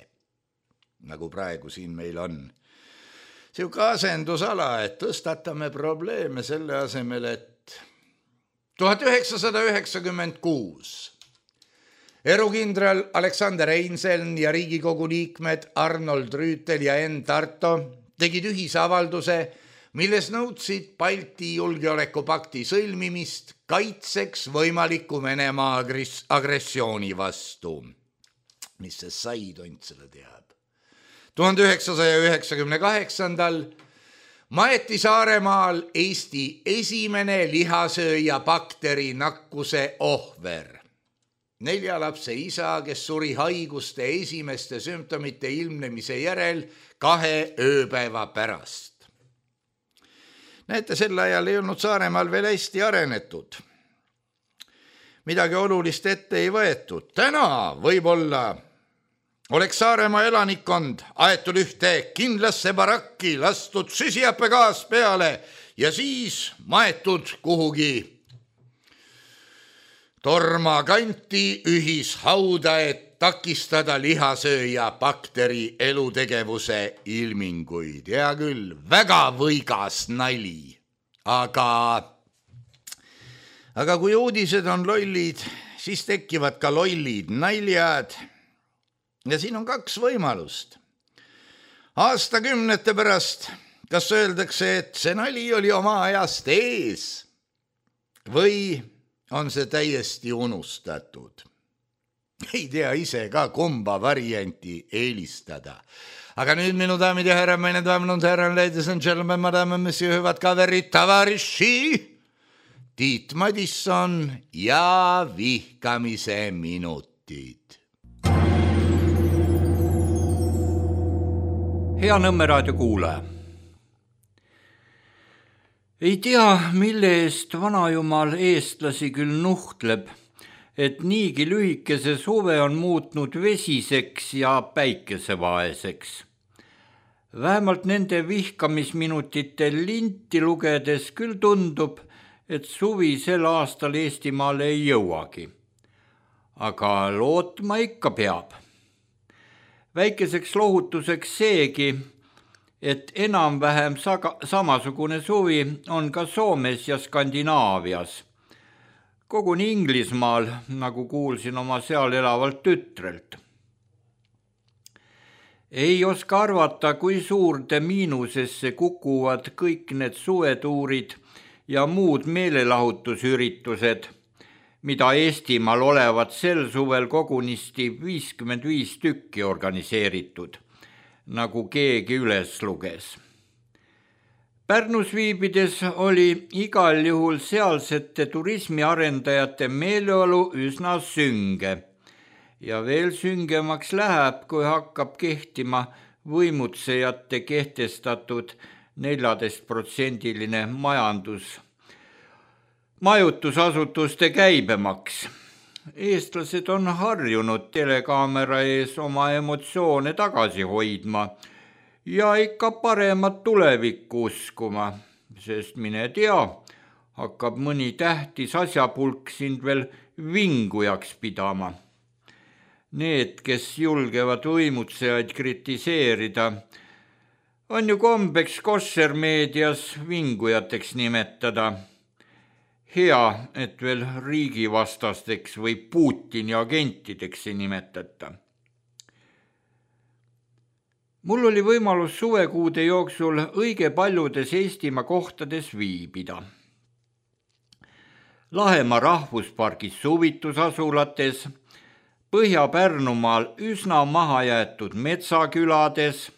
nagu praegu siin meil on. Siuke asendusala, et tõstatame probleeme selle asemel, et tuhat üheksasada üheksakümmend kuus erukindral Aleksander Einseln ja Riigikogu liikmed Arnold Rüütel ja Enn Tarto tegid ühisavalduse, milles nõudsid Balti julgeolekupakti sõlmimist kaitseks võimaliku Venemaa agressiooni vastu. Mis see sai, tont selle teab. tuhande üheksasaja üheksakümne kaheksandal maeti Saaremaal Eesti esimene lihasööja bakteri nakkuse ohver. Nelja lapse isa, kes suri haiguste esimeste sümptomite ilmnemise järel kahe ööpäeva pärast. Näete, sel ajal ei olnud Saaremaal veel hästi arenetud. Midagi olulist ette ei võetud. Täna võib-olla oleks Saaremaa elanikkond aetud ühte kindlasse barakki, lastud süsihappegaas peale ja siis maetud kuhugi torma kanti ühishauda, et takistada lihasööja bakteri elutegevuse ilminguid. Hea küll, väga võigas nali, aga, aga kui uudised on lollid, siis tekivad ka lollid naljad. Ja siin on kaks võimalust. Aastakümnete pärast, kas öeldakse, et see nali oli oma ajast ees või on see täiesti unustatud. Ei tea ise ka kumba varianti eelistada. Aga nüüd minu daamid ja härra, meine daamid und herren, ladies and gentlemen, madame, monsieur, hüvad kaverid, tavariši, Tiit Madisson ja vihkamise minutid. Hea Nõmme raadio kuulaja. Ei tea, mille eest vanajumal eestlasi küll nuhtleb, et niigi lühikese suve on muutnud vesiseks ja päikesevaeseks. Vähemalt nende vihkamisminutite linti lugedes küll tundub, et suvi sel aastal Eestimaale ei jõuagi. Aga lootma ikka peab. Väikeseks lohutuseks seegi, et enam-vähem samasugune suvi on ka Soomes ja Skandinaavias. Koguni Inglismaal, nagu kuulsin oma seal elavalt tütrelt. Ei oska arvata, kui suurde miinusesse kukuvad kõik need suvetuurid ja muud meelelahutusüritused, mida Eestimaal olevat sel suvel kogunisti viiskümmend viis tükki organiseeritud, nagu keegi üles luges. Pärnus viibides oli igal juhul sealsete turismiarendajate meeleolu üsna sünge ja veel süngemaks läheb, kui hakkab kehtima võimutsejate kehtestatud neljateist protsendiline majandus, majutusasutuste käibemaks. Eestlased on harjunud telekaamera ees oma emotsioone tagasi hoidma ja ikka paremat tulevikku uskuma, sest mine tea, hakkab mõni tähtis asjapulk sind veel vingujaks pidama. Need, kes julgevad võimutsejaid kritiseerida, on ju kombeks kossermeedias vingujateks nimetada. Hea, et veel riigivastasteks või Putini agentideks ei nimetata. Mul oli võimalus suvekuude jooksul õige paljudes Eestimaa kohtades viibida. Lahemaa rahvuspargis suvitusasulates, Põhja-Pärnumaal üsna mahajäetud metsakülades,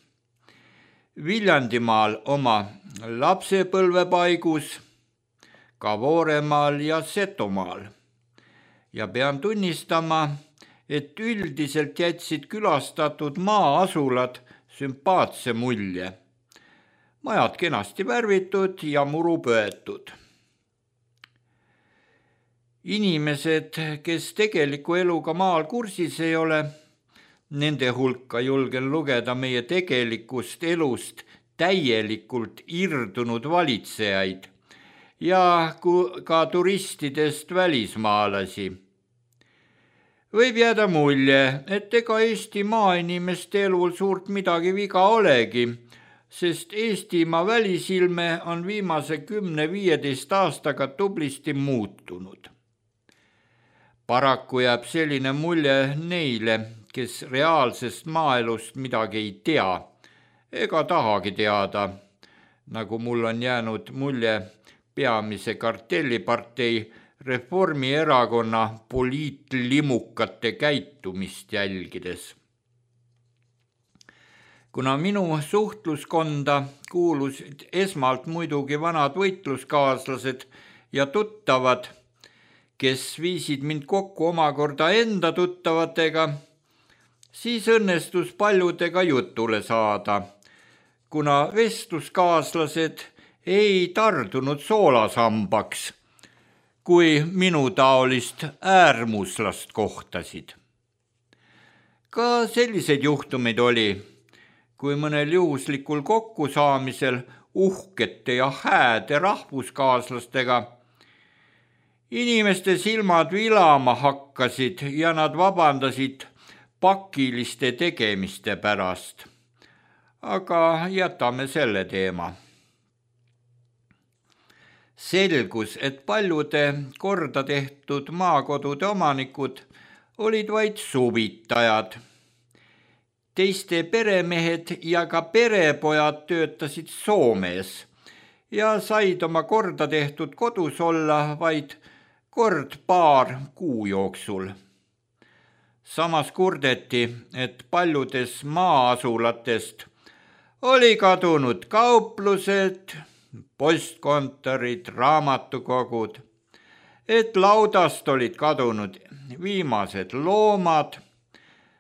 Viljandimaal oma lapsepõlvepaigus, ka Vooremaal ja Setomaal. Ja pean tunnistama, et üldiselt jätsid külastatud maa-asulad sümpaatse mulje. majad kenasti värvitud ja muru pöetud. Inimesed, kes tegeliku eluga maal kursis ei ole, nende hulka julgen lugeda meie tegelikust elust täielikult irdunud valitsejaid ja ka turistidest välismaalasi. Võib jääda mulje, et ega Eesti maainimeste elul suurt midagi viga olegi, sest Eestimaa välisilme on viimase kümne-viieteist aastaga tublisti muutunud. Paraku jääb selline mulje neile, kes reaalsest maaelust midagi ei tea ega tahagi teada, nagu mul on jäänud mulje peamise kartellipartei Reformierakonna poliitlimukate käitumist jälgides. Kuna minu suhtluskonda kuulusid esmalt muidugi vanad võitluskaaslased ja tuttavad, kes viisid mind kokku omakorda enda tuttavatega, siis õnnestus paljudega jutule saada, kuna vestluskaaslased ei tardunud soolasambaks, kui minu taolist äärmuslast kohtasid. Ka selliseid juhtumeid oli, kui mõnel juhuslikul kokkusaamisel uhkete ja hääde rahvuskaaslastega inimeste silmad vilama hakkasid ja nad vabandasid pakiliste tegemiste pärast. Aga jätame selle teema. Selgus, et paljude korda tehtud maakodude omanikud olid vaid suvitajad. Teiste peremehed ja ka perepojad töötasid Soomes ja said oma korda tehtud kodus olla vaid kord paar kuu jooksul. Samas kurdeti, et paljudes maa-asulatest oli kadunud kauplused, postkontorid, raamatukogud, et laudast olid kadunud viimased loomad,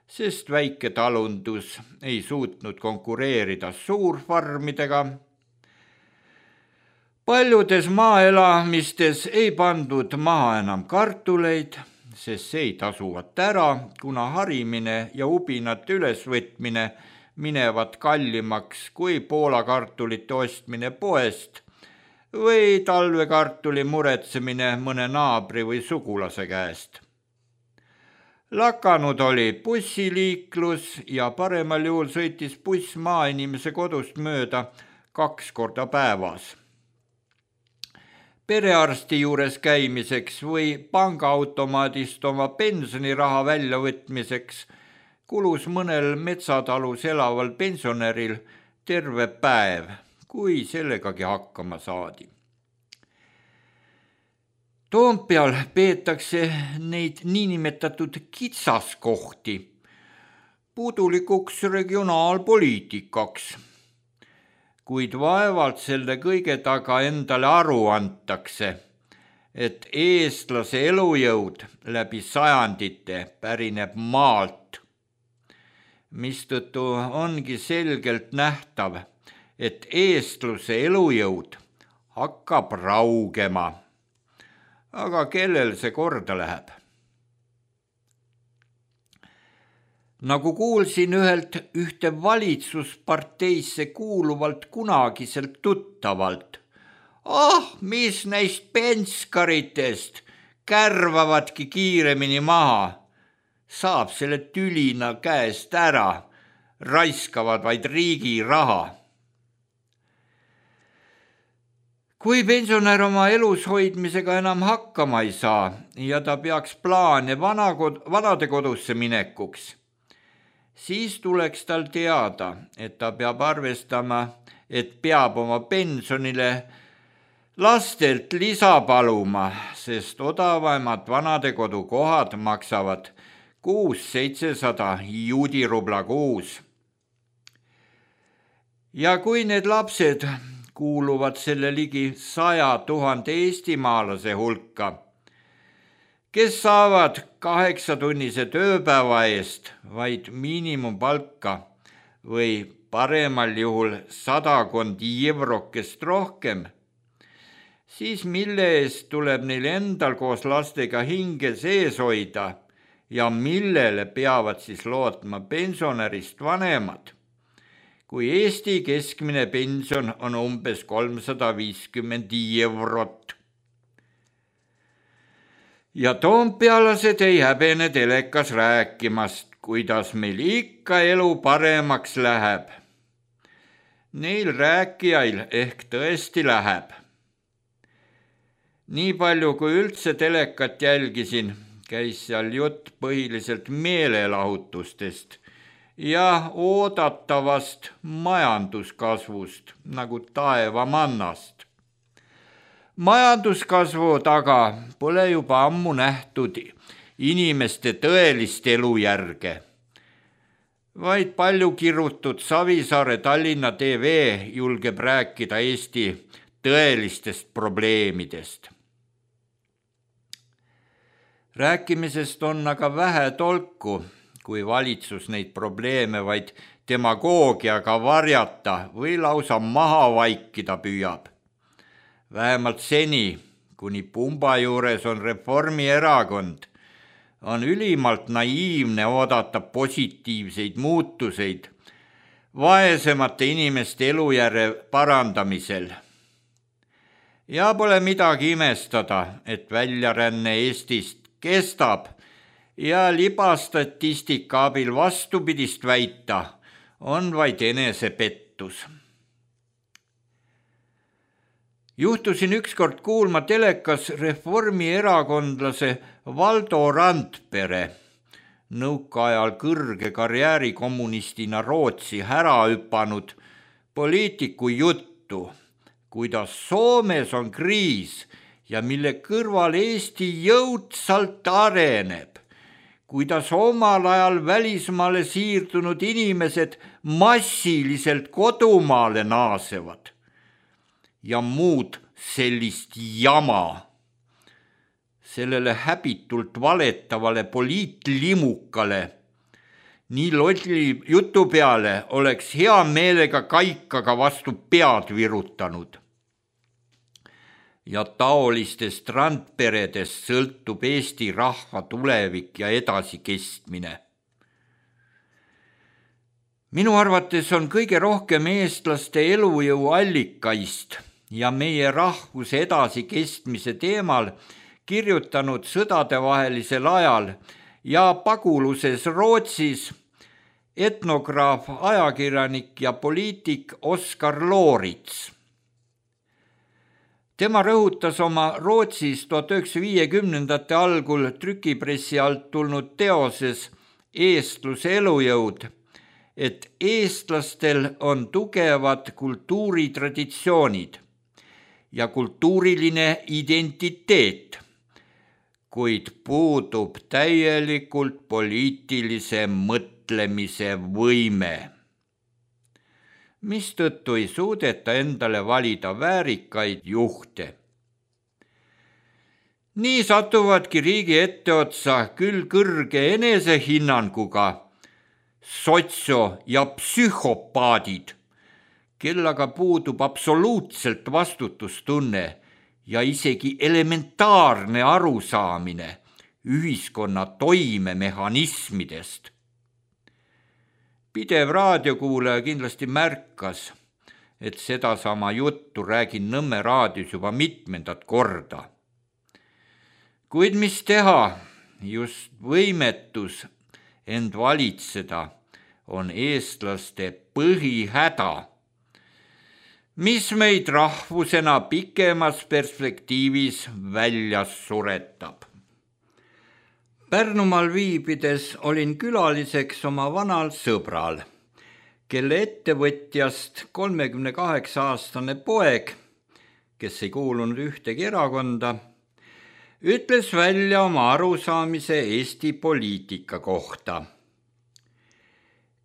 sest väike talundus ei suutnud konkureerida suurfarmidega. Paljudes maaelamistes ei pandud maha enam kartuleid, sest see ei tasuvat ära, kuna harimine ja ubinate ülesvõtmine minevad kallimaks kui Poola kartulite ostmine poest või talvekartuli muretsemine mõne naabri või sugulase käest. Lakanud oli bussiliiklus ja paremal juhul sõitis buss maainimese kodust mööda kaks korda päevas. Perearsti juures käimiseks või pangaautomaadist oma pensioniraha väljavõtmiseks kulus mõnel metsatalus elaval pensionäril terve päev, kui sellegagi hakkama saadi. Toompeal peetakse neid niinimetatud kitsaskohti pudulikuks regionaalpoliitikaks, kuid vaevalt selle kõige taga endale aru antakse, et eestlase elujõud läbi sajandite pärineb maalt, mistõttu ongi selgelt nähtav, et eestluse elujõud hakkab raugema. Aga kellel see korda läheb? Nagu kuulsin ühelt ühte valitsusparteisse kuuluvalt kunagiselt tuttavalt, ah, mis neist penskaritest kärvavadki kiiremini maha, saab selle tülina käest ära, raiskavad vaid riigi raha. Kui pensionär oma elus hoidmisega enam hakkama ei saa ja ta peaks plaane vanade kodusse minekuks, siis tuleks tal teada, et ta peab arvestama, et peab oma pensionile lastelt lisa paluma, sest odavamad vanadekodu kohad maksavad kuus seitsesada juudirubla kuus. Ja kui need lapsed kuuluvad selle ligi saja tuhande eestimaalase hulka, kes saavad kaheksatunnise tööpäeva eest vaid miinimumpalka või paremal juhul sadakond eurokest rohkem, siis mille eest tuleb neil endal koos lastega hinge sees hoida ja millele peavad siis lootma pensionärist vanemad, kui Eesti keskmine pension on umbes kolmsada viiskümmend eurot. Ja toompealased ei häbene telekas rääkimast, kuidas meil ikka elu paremaks läheb. Neil rääkijail ehk tõesti läheb. Nii palju kui üldse telekat jälgisin, käis seal jutt põhiliselt meelelahutustest ja oodatavast majanduskasvust nagu taevamannast. Majanduskasvu taga pole juba ammu nähtud inimeste tõelist elujärge, vaid palju kirutud Savisaare Tallinna T V julgeb rääkida Eesti tõelistest probleemidest. Rääkimisest on aga vähe tolku, kui valitsus neid probleeme vaid demagoogiaga varjata või lausa maha vaikida püüab. Vähemalt seni, kuni pumba juures on Reformierakond, on ülimalt naiivne oodata positiivseid muutuseid vaesemate inimeste elujärje parandamisel. Ja pole midagi imestada, et väljaränne Eestist kestab ja libastatistika abil vastupidist väita on vaid enesepettus. Juhtusin ükskord kuulma telekas reformierakondlase Valdo Randpere, nõukaajal kõrge karjäärikommunistina Rootsi ära hüpanud poliitiku juttu, kuidas Soomes on kriis ja mille kõrval Eesti jõudsalt areneb, kuidas omal ajal välismaale siirdunud inimesed massiliselt kodumaale naasevad ja muud sellist jama. Sellele häbitult valetavale poliitlimukale nii lolli jutu peale oleks hea meelega kaikaga vastu pead virutanud. Ja taolistest randperedest sõltub Eesti rahva tulevik ja edasikestmine. Minu arvates on kõige rohkem eestlaste elujõu allikaist ja meie rahvuse edasikestmise teemal kirjutanud sõdadevahelisel ajal ja paguluses Rootsis etnograaf, ajakirjanik ja poliitik Oskar Loorits. Tema rõhutas oma Rootsis tuhat üheksasaja viiekümnendate algul trükipressi alt tulnud teoses Eestluse elujõud, et eestlastel on tugevad kultuuritraditsioonid ja kultuuriline identiteet, kuid puudub täielikult poliitilise mõtlemise võime, mistõttu ei suudeta endale valida väärikaid juhte. Nii satuvadki riigi etteotsa küll kõrge enesehinnanguga sotsio- ja psühhopaadid, kel aga puudub absoluutselt vastutustunne ja isegi elementaarne arusaamine ühiskonna toimemehhanismidest. Pidev raadiokuulaja kindlasti märkas, et sedasama juttu räägin Nõmme raadios juba mitmendat korda. Kuid mis teha, just võimetus end valitseda on eestlaste põhihäda, mis meid rahvusena pikemas perspektiivis välja suretab. Pärnumaal viibides olin külaliseks oma vanal sõbral, kelle ettevõtjast kolmekümne kaheksa aastane poeg, kes ei kuulunud ühtegi erakonda, ütles välja oma arusaamise Eesti poliitika kohta.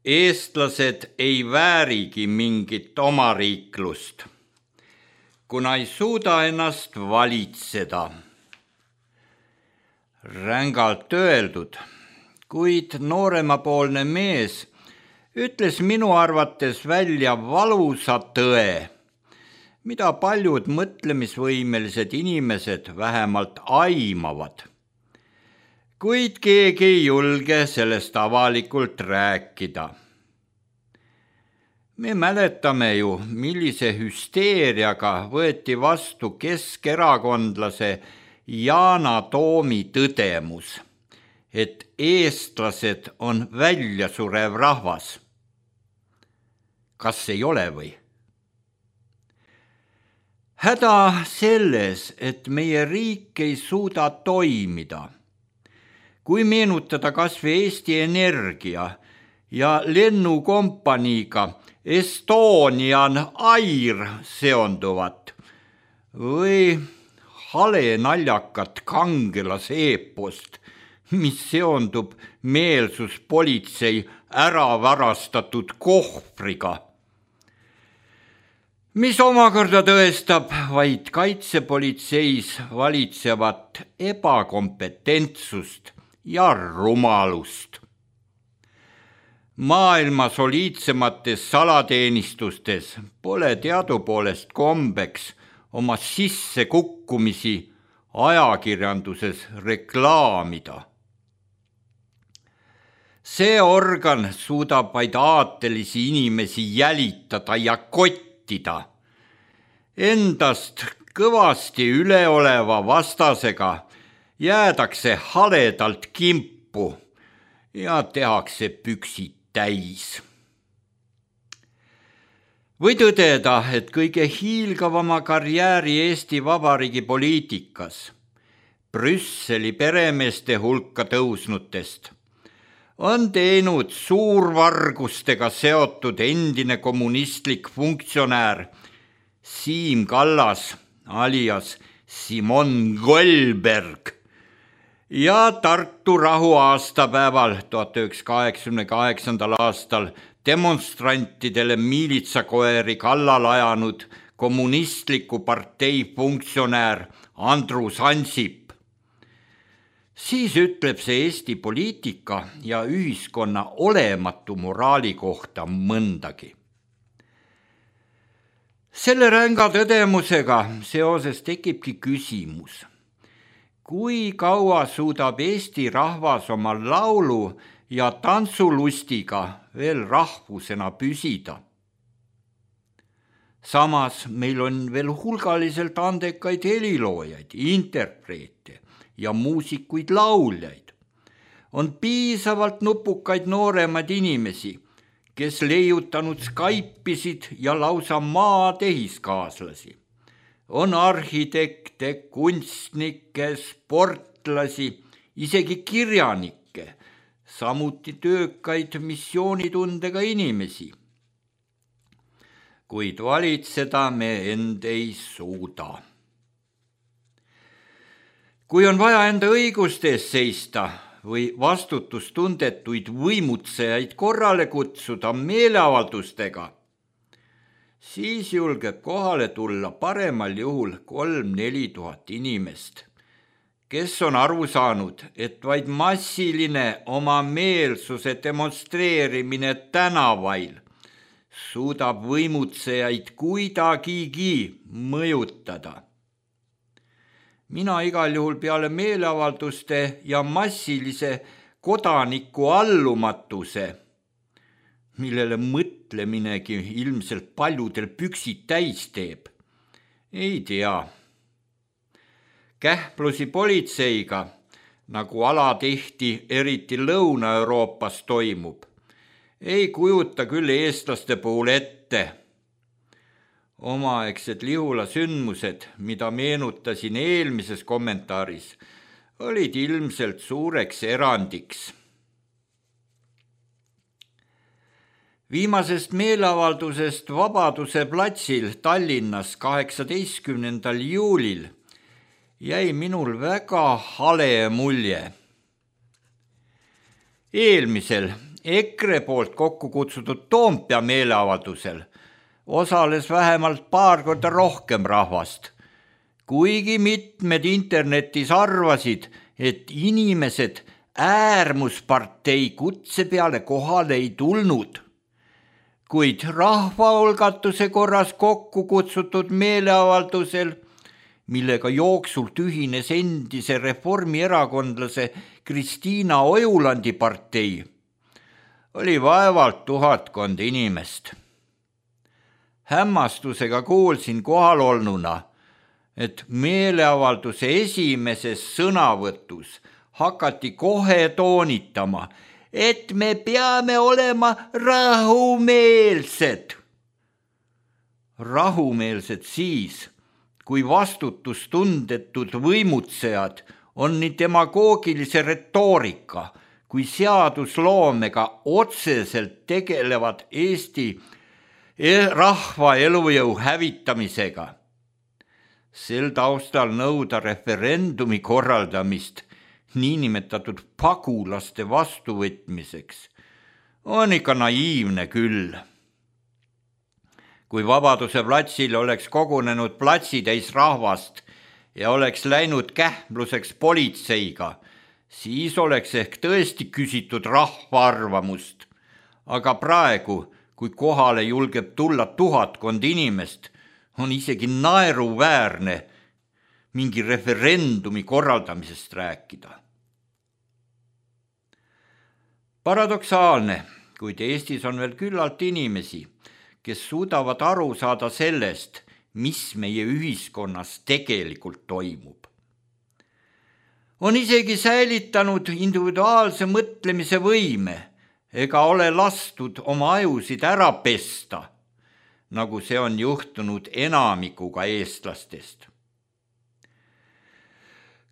Eestlased ei väärigi mingit omariiklust, kuna ei suuda ennast valitseda. Rängalt öeldud, kuid nooremapoolne mees ütles minu arvates välja valusa tõe, mida paljud mõtlemisvõimelised inimesed vähemalt aimavad. Kuid keegi ei julge sellest avalikult rääkida. Me mäletame ju, millise hüsteeriaga võeti vastu keskerakondlase Yana Toomi tõdemus, et eestlased on väljasurev rahvas. Kas ei ole või? Häda selles, et meie riik ei suuda toimida. Kui meenutada kas või Eesti Energia ja lennukompaniiga Estonian Air seonduvat või hale naljakat kangelaseepost, mis seondub meelsuspolitsei ära varastatud kohvriga, mis omakorda tõestab vaid kaitsepolitseis valitsevat ebakompetentsust ja rumalust. Maailma soliidsemates salateenistustes pole teadupoolest kombeks oma sissekukkumisi ajakirjanduses reklaamida. See organ suudab vaid aatelisi inimesi jälitada ja kottida. Endast kõvasti üleoleva vastasega jäädakse haledalt kimpu ja tehakse püksid täis. Või tõdeda, et kõige hiilgavama karjääri Eesti Vabariigi poliitikas, Brüsseli peremeeste hulka tõusnutest, on teinud suurvargustega seotud endine kommunistlik funktsionäär Siim Kallas alias Simon Goldberg ja Tartu rahu aastapäeval tuhat üheksasada kaheksakümne kaheksandal aastal demonstrantidele miilitsakoeri kallal ajanud kommunistliku partei funktsionäär Andrus Ansip. Siis ütleb see Eesti poliitika ja ühiskonna olematu moraali kohta mõndagi. Selle ränga tõdemusega seoses tekibki küsimus, kui kaua suudab Eesti rahvas oma laulu ja tantsulustiga veel rahvusena püsida. Samas meil on veel hulgaliselt andekaid heliloojaid, interpreete ja muusikuid lauljaid. On piisavalt nupukaid nooremaid inimesi, kes leiutanud Skype'isid ja lausa maatehiskaaslasi. On arhitekte, kunstnikke, sportlasi, isegi kirjanikke, samuti töökaid missioonitundega inimesi. Kuid valitseda me end ei suuda. Kui on vaja enda õiguste eest seista või vastutustundetuid võimutsejaid korrale kutsuda meeleavaldustega, siis julgeb kohale tulla paremal juhul kolm-neli tuhat inimest, kes on aru saanud, et vaid massiline oma meelsuse demonstreerimine tänavail suudab võimutsejaid kuidagigi mõjutada. Mina igal juhul peale meeleavalduste ja massilise kodaniku allumatuse, millele mõtleminegi ilmselt paljudel püksid täis teeb, ei tea. Kähplusi politseiga, nagu alatihti eriti Lõuna-Euroopas toimub, ei kujuta küll eestlaste puhul ette. Omaaegsed Lihula sündmused, mida meenutasin eelmises kommentaaris, olid ilmselt suureks erandiks. Viimasest meeleavaldusest Vabaduse platsil Tallinnas kaheksateistkümnendal juulil jäi minul väga hale mulje. Eelmisel EKRE poolt kokku kutsutud Toompea meeleavaldusel osales vähemalt paar korda rohkem rahvast, kuigi mitmed internetis arvasid, et inimesed äärmuspartei kutse peale kohale ei tulnud kuid rahvaolgatuse korras kokku kutsutud meeleavaldusel, millega jooksult ühines endise reformierakondlase Kristiina Ojulandi partei, oli vaevalt tuhatkond inimest. Hämmastusega kuulsin kohalolnuna, et meeleavalduse esimeses sõnavõtus hakati kohe toonitama, et me peame olema rahumeelsed. Rahumeelsed siis, kui vastutustundetud võimutsejad on nii demagoogilise retoorika kui seadusloomega otseselt tegelevad Eesti rahva elujõu hävitamisega. Sel taustal nõuda referendumi korraldamist niinimetatud pagulaste vastuvõtmiseks on ikka naiivne küll. Kui Vabaduse platsil oleks kogunenud platsitäis rahvast ja oleks läinud kähmluseks politseiga, siis oleks ehk tõesti küsitud rahva arvamust. Aga praegu, kui kohale julgeb tulla tuhatkond inimest, on isegi naeruväärne mingi referendumi korraldamisest rääkida. Paradoksaalne, kuid Eestis on veel küllalt inimesi, kes suudavad aru saada sellest, mis meie ühiskonnas tegelikult toimub. On isegi säilitanud individuaalse mõtlemise võime ega ole lastud oma ajusid ära pesta, nagu see on juhtunud enamikuga eestlastest.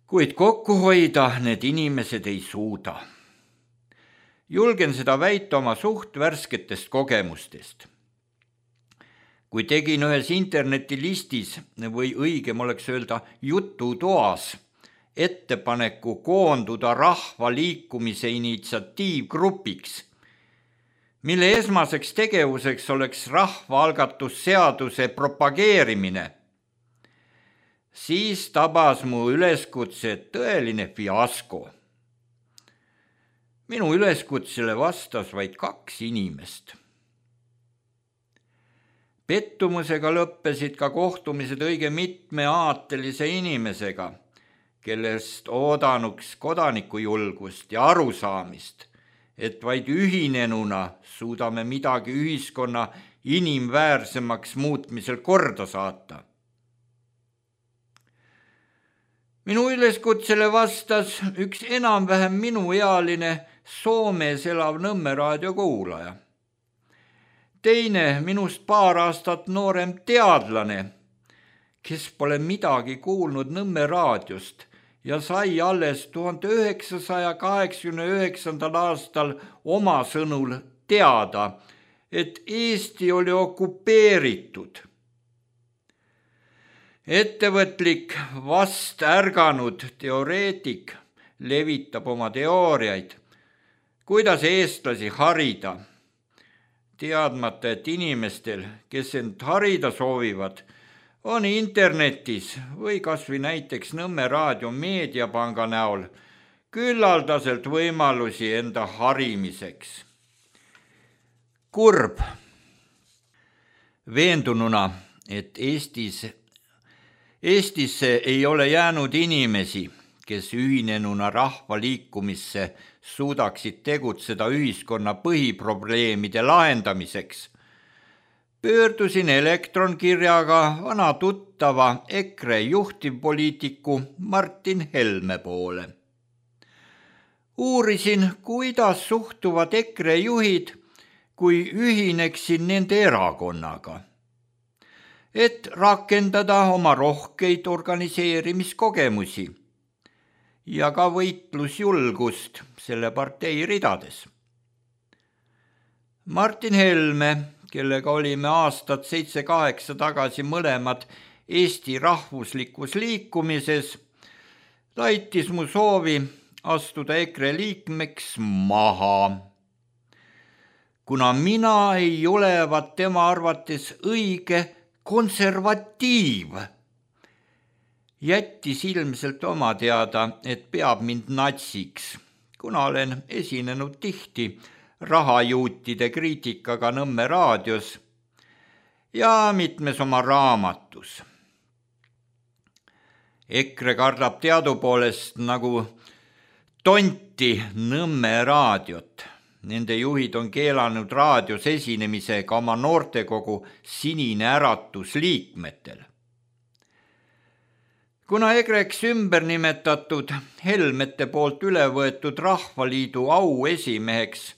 Kuid kokku hoida need inimesed ei suuda. Julgen seda väita oma suht värsketest kogemustest. Kui tegin ühes internetilistis või õigem oleks öelda jututoas ettepaneku koonduda rahvaliikumise initsiatiivgrupiks, mille esmaseks tegevuseks oleks rahvaalgatusseaduse propageerimine, siis tabas mu üleskutse tõeline fiasko. Minu üleskutsele vastas vaid kaks inimest. Pettumusega lõppesid ka kohtumised õige mitme aatelise inimesega, kellest oodanuks kodanikujulgust ja arusaamist, et vaid ühinenuna suudame midagi ühiskonna inimväärsemaks muutmisel korda saata. Minu üleskutsele vastas üks enam-vähem minuealine Soomes elav Nõmme raadio kuulaja. Teine minust paar aastat noorem teadlane, kes pole midagi kuulnud Nõmme raadiost ja sai alles tuhande üheksasaja kaheksakümne üheksandal aastal oma sõnul teada, et Eesti oli okupeeritud. Ettevõtlik vast ärganud teoreetik levitab oma teooriaid, kuidas eestlasi harida, teadmata, et inimestel, kes end harida soovivad, on internetis või kas või näiteks Nõmme raadio meediapanga näol küllaldaselt võimalusi enda harimiseks. Kurb. Veendununa, et Eestis, Eestisse ei ole jäänud inimesi, kes ühinenuna rahvaliikumisse suudaksid tegutseda ühiskonna põhiprobleemide lahendamiseks, pöördusin elektronkirjaga vana tuttava EKRE juhtivpoliitiku Martin Helme poole. Uurisin, kuidas suhtuvad EKRE juhid, kui ühineksin nende erakonnaga, et rakendada oma rohkeid organiseerimiskogemusi ja ka võitlusjulgust selle partei ridades. Martin Helme, kellega olime aastat seitse-kaheksa tagasi mõlemad Eesti rahvuslikus liikumises, laitis mu soovi astuda EKRE liikmeks maha, kuna mina ei olevat tema arvates õige konservatiiv. Jättis ilmselt oma teada, et peab mind natsiks, kuna olen esinenud tihti rahajuutide kriitikaga Nõmme raadios ja mitmes oma raamatus. EKRE kardab teadupoolest nagu tonti Nõmme raadiot. Nende juhid on keelanud raadios esinemise ka oma noortekogu Sinine Äratus liikmetel. Kuna EKRE-ks ümber nimetatud Helmete poolt üle võetud Rahvaliidu au esimeheks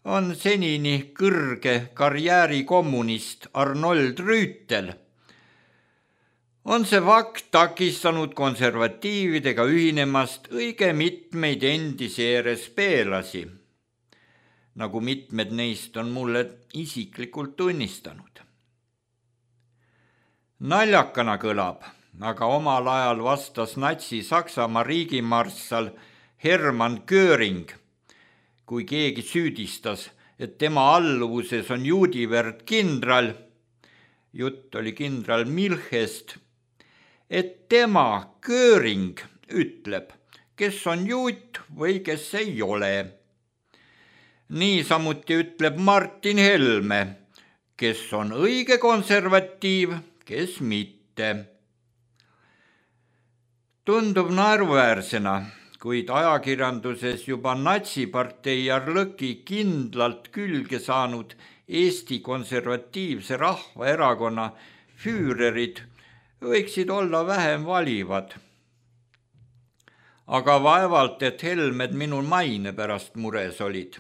on senini kõrge karjäärikommunist Arnold Rüütel, on see fakt takistanud konservatiividega ühinemast õige mitmeid endisi E R S P-lasi, nagu mitmed neist on mulle isiklikult tunnistanud. Naljakana kõlab, aga omal ajal vastas natsi-Saksamaa riigimarssal Hermann Göring, kui keegi süüdistas, et tema alluvuses on juudiverd kindral, jutt oli kindral Milchest, et tema, Göring, ütleb, kes on juut või kes ei ole. Niisamuti ütleb Martin Helme, kes on õige konservatiiv, kes mitte. Tundub naeruväärsena, kuid ajakirjanduses juba natsipartei Arlõki kindlalt külge saanud Eesti Konservatiivse Rahvaerakonna füürerid võiksid olla vähem valivad. Aga vaevalt, et Helmed minu maine pärast mures olid,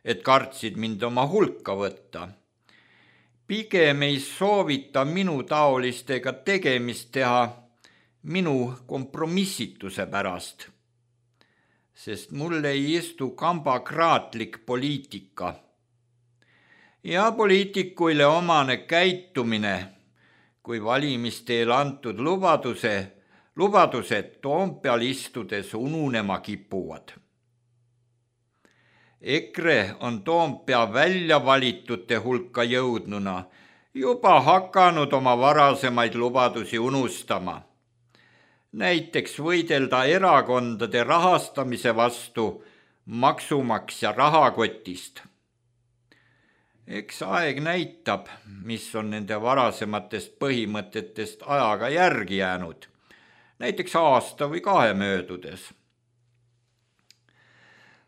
et kartsid mind oma hulka võtta. Pigem ei soovita minu taolistega tegemist teha minu kompromissituse pärast, sest mul ei istu kambakraatlik poliitika. Ja poliitikuile omane käitumine, kui valimisteel antud lubaduse, lubadused Toompeal istudes ununema kipuvad. EKRE on Toompea välja valitute hulka jõudnuna juba hakanud oma varasemaid lubadusi unustama. Näiteks võidelda erakondade rahastamise vastu maksumaksja rahakotist. Eks aeg näitab, mis on nende varasematest põhimõtetest ajaga järgi jäänud, näiteks aasta või kahe möödudes.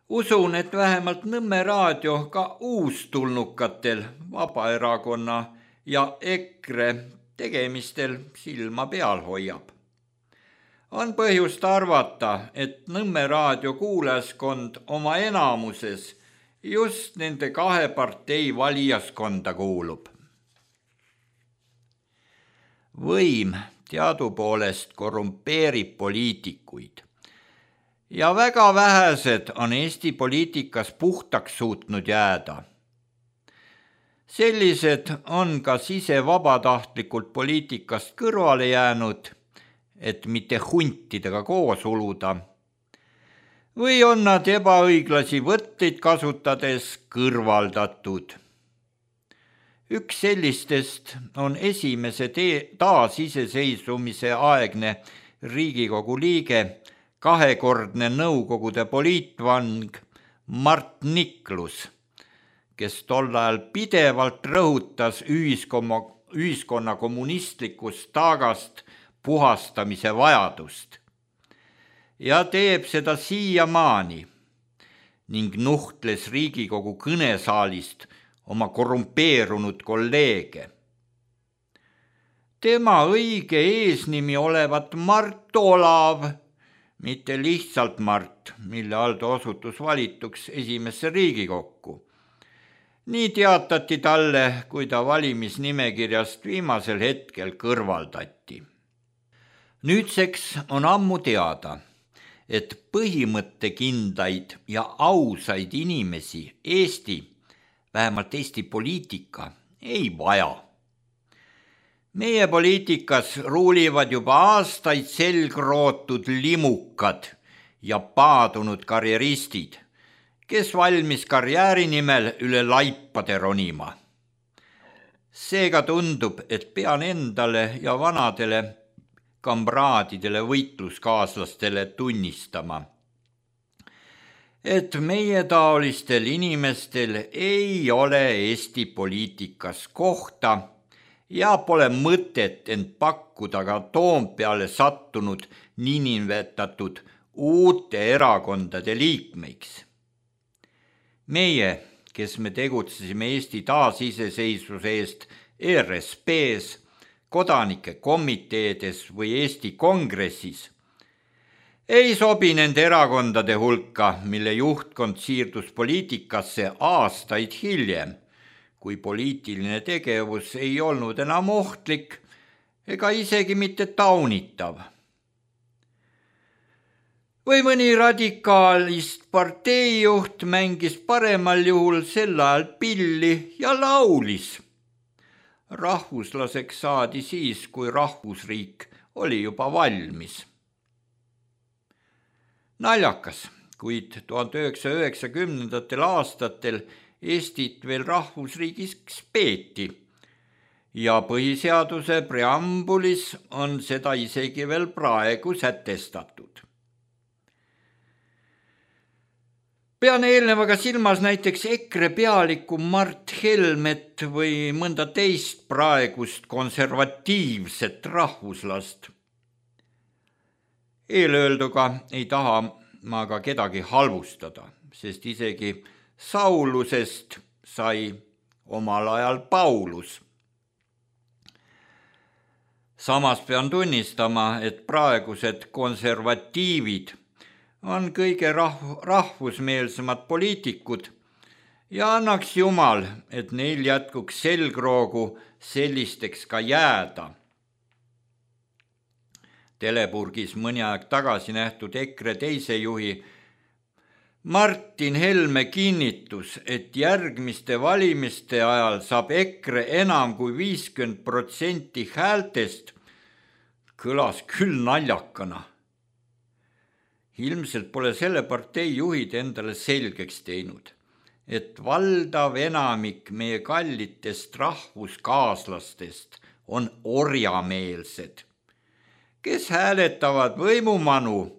Usun, et vähemalt Nõmme raadio ka uustulnukatel Vabaerakonna ja EKRE tegemistel silma peal hoiab. On põhjust arvata, et Nõmme raadio kuulajaskond oma enamuses just nende kahe partei valijaskonda kuulub. Võim teadupoolest korrumpeerib poliitikuid ja väga vähesed on Eesti poliitikas puhtaks suutnud jääda. Sellised on kas ise vabatahtlikult poliitikast kõrvale jäänud, et mitte huntidega koos uluda, või on nad ebaõiglasi võtteid kasutades kõrvaldatud. Üks sellistest on esimese taasiseseisvumise aegne Riigikogu liige, kahekordne nõukogude poliitvang Mart Niklus, kes tol ajal pidevalt rõhutas ühiskonna, ühiskonna kommunistlikust taagast puhastamise vajadust. Ja teeb seda siiamaani ning nuhtles Riigikogu kõnesaalist oma korrumpeerunud kolleege. Tema õige eesnimi olevat Mart Olav, mitte lihtsalt Mart, mille all ta osutus valituks esimesse Riigikokku. Nii teatati talle, kui ta valimisnimekirjast viimasel hetkel kõrvaldati. Nüüdseks on ammu teada, et põhimõttekindlaid ja ausaid inimesi Eesti, vähemalt Eesti poliitika, ei vaja. Meie poliitikas ruulivad juba aastaid selgrootud limukad ja paadunud karjeristid, kes valmis karjääri nimel üle laipade ronima. Seega tundub, et pean endale ja vanadele kamraadidele võitluskaaslastele tunnistama, et meie taolistel inimestel ei ole Eesti poliitikas kohta ja pole mõtet end pakkuda ka Toompeale sattunud niinimetatud uute erakondade liikmeiks. Meie, kes me tegutsesime Eesti taasiseseisvuse eest E R S P-s, kodanike komiteedes või Eesti kongressis, ei sobi nende erakondade hulka, mille juhtkond siirdus poliitikasse aastaid hiljem, kui poliitiline tegevus ei olnud enam ohtlik ega isegi mitte taunitav. Või mõni radikaalist parteijuht mängis paremal juhul sel ajal pilli ja laulis. Rahvuslaseks saadi siis, kui rahvusriik oli juba valmis. Naljakas, kuid tuhande üheksasaja üheksakümnendatel aastatel Eestit veel rahvusriigiks peeti ja põhiseaduse preambulis on seda isegi veel praegu sätestatud. Pean eelnevaga silmas näiteks EKRE pealikku Mart Helmet või mõnda teist praegust konservatiivset rahvuslast. Eelöelduga ei taha ma ka kedagi halvustada, sest isegi Saulusest sai omal ajal Paulus. Samas pean tunnistama, et praegused konservatiivid on kõige rahv- rahvusmeelsemad poliitikud ja annaks Jumal, et neil jätkuks selgroogu sellisteks ka jääda. Telepurgis mõni aeg tagasi nähtud EKRE teise juhi Martin Helme kinnitus, et järgmiste valimiste ajal saab EKRE enam kui viiskümmend protsenti häältest, kõlas küll naljakana. Ilmselt pole selle partei juhid endale selgeks teinud, et valdav enamik meie kallitest rahvuskaaslastest on orjameelsed, kes hääletavad võimumanu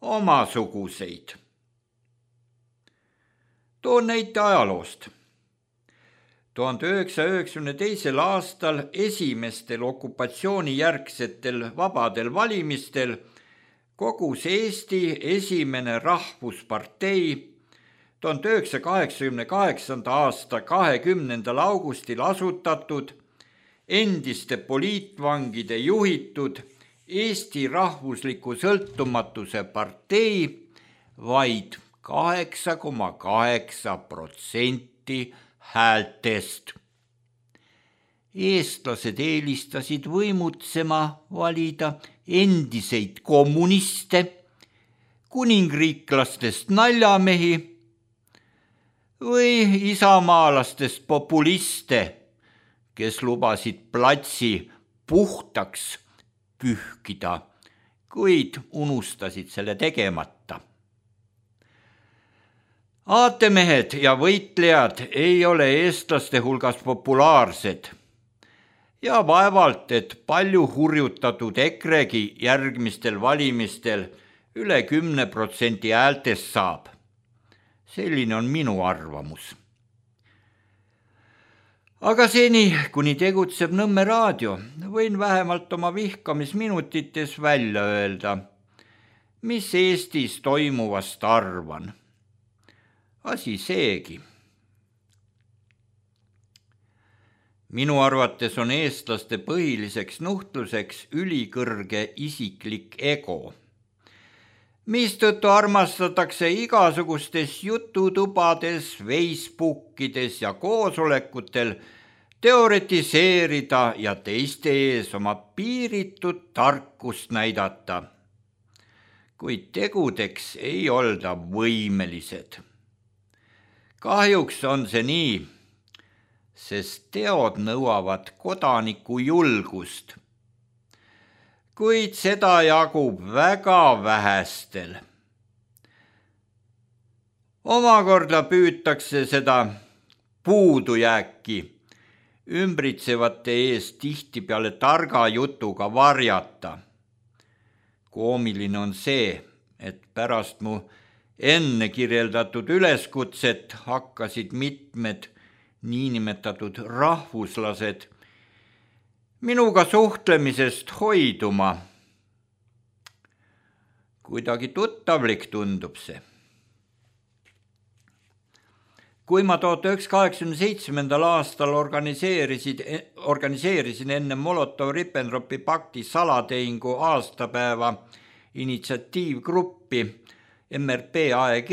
omasuguseid. Toon näite ajaloost. tuhande üheksasaja üheksakümne teisel aastal esimestel okupatsioonijärgsetel vabadel valimistel kogus Eesti esimene rahvuspartei tuhande üheksasaja kaheksakümne kaheksanda aasta kahekümnendal augustil asutatud endiste poliitvangide juhitud Eesti rahvusliku sõltumatuse partei vaid kaheksa koma kaheksa protsenti häältest. Eestlased eelistasid võimutsema valida endiseid kommuniste, kuningriiklastest naljamehi või isamaalastest populiste, kes lubasid platsi puhtaks pühkida, kuid unustasid selle tegemata. Aatemehed ja võitlejad ei ole eestlaste hulgas populaarsed ja vaevalt, et palju hurjutatud EKREgi järgmistel valimistel üle kümne protsendi häältest saab. Selline on minu arvamus. Aga seni, kuni tegutseb Nõmme raadio, võin vähemalt oma vihkamisminutites välja öelda, mis Eestis toimuvast arvan. Asi seegi. Minu arvates on eestlaste põhiliseks nuhtluseks ülikõrge isiklik ego, mistõttu armastatakse igasugustes jututubades, Facebookides ja koosolekutel teoretiseerida ja teiste ees oma piiritut tarkust näidata, kuid tegudeks ei olda võimelised. Kahjuks on see nii, sest teod nõuavad kodaniku julgust, kuid seda jagub väga vähestel. Omakorda püütakse seda puudujääki ümbritsevate ees tihtipeale targa jutuga varjata. Koomiline on see, et pärast mu Enne kirjeldatud üleskutset hakkasid mitmed niinimetatud rahvuslased minuga suhtlemisest hoiduma. Kuidagi tuttavlik tundub see. Kui ma tuhat üheksasada kaheksakümne seitsmendal aastal organiseerisid, organiseerisin enne Molotov-Ribbentropi pakti salatehingu aastapäeva initsiatiivgruppi M R P A E G,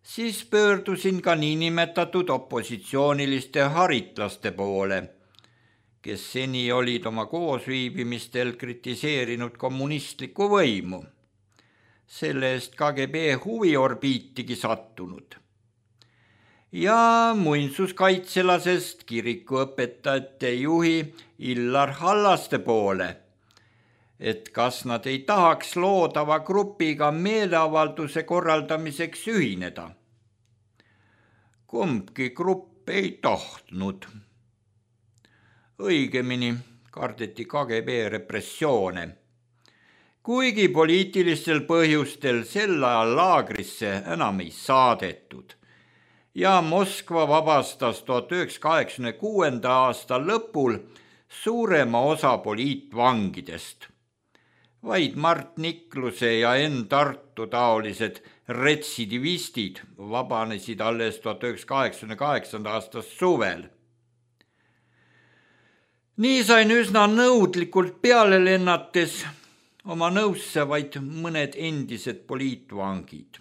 siis pöördusin ka niinimetatud opositsiooniliste haritlaste poole, kes seni olid oma koosviibimistel kritiseerinud kommunistlikku võimu, selle eest K G B huviorbiitigi sattunud. Ja muinsuskaitselasest kirikuõpetajate juhi Illar Hallaste poole, et kas nad ei tahaks loodava grupiga meeleavalduse korraldamiseks ühineda. Kumbki grupp ei tahtnud. Õigemini kardeti K G B repressioone, kuigi poliitilistel põhjustel sel ajal laagrisse enam ei saadetud ja Moskva vabastas tuhat üheksasada kaheksakümne kuuenda aasta lõpul suurema osa poliitvangidest. Vaid Mart Nikluse ja Enn Tartu taolised retsidivistid vabanesid alles tuhat üheksasada kaheksakümne kaheksanda aasta suvel. Nii sain üsna nõudlikult peale lennates oma nõusse vaid mõned endised poliitvangid.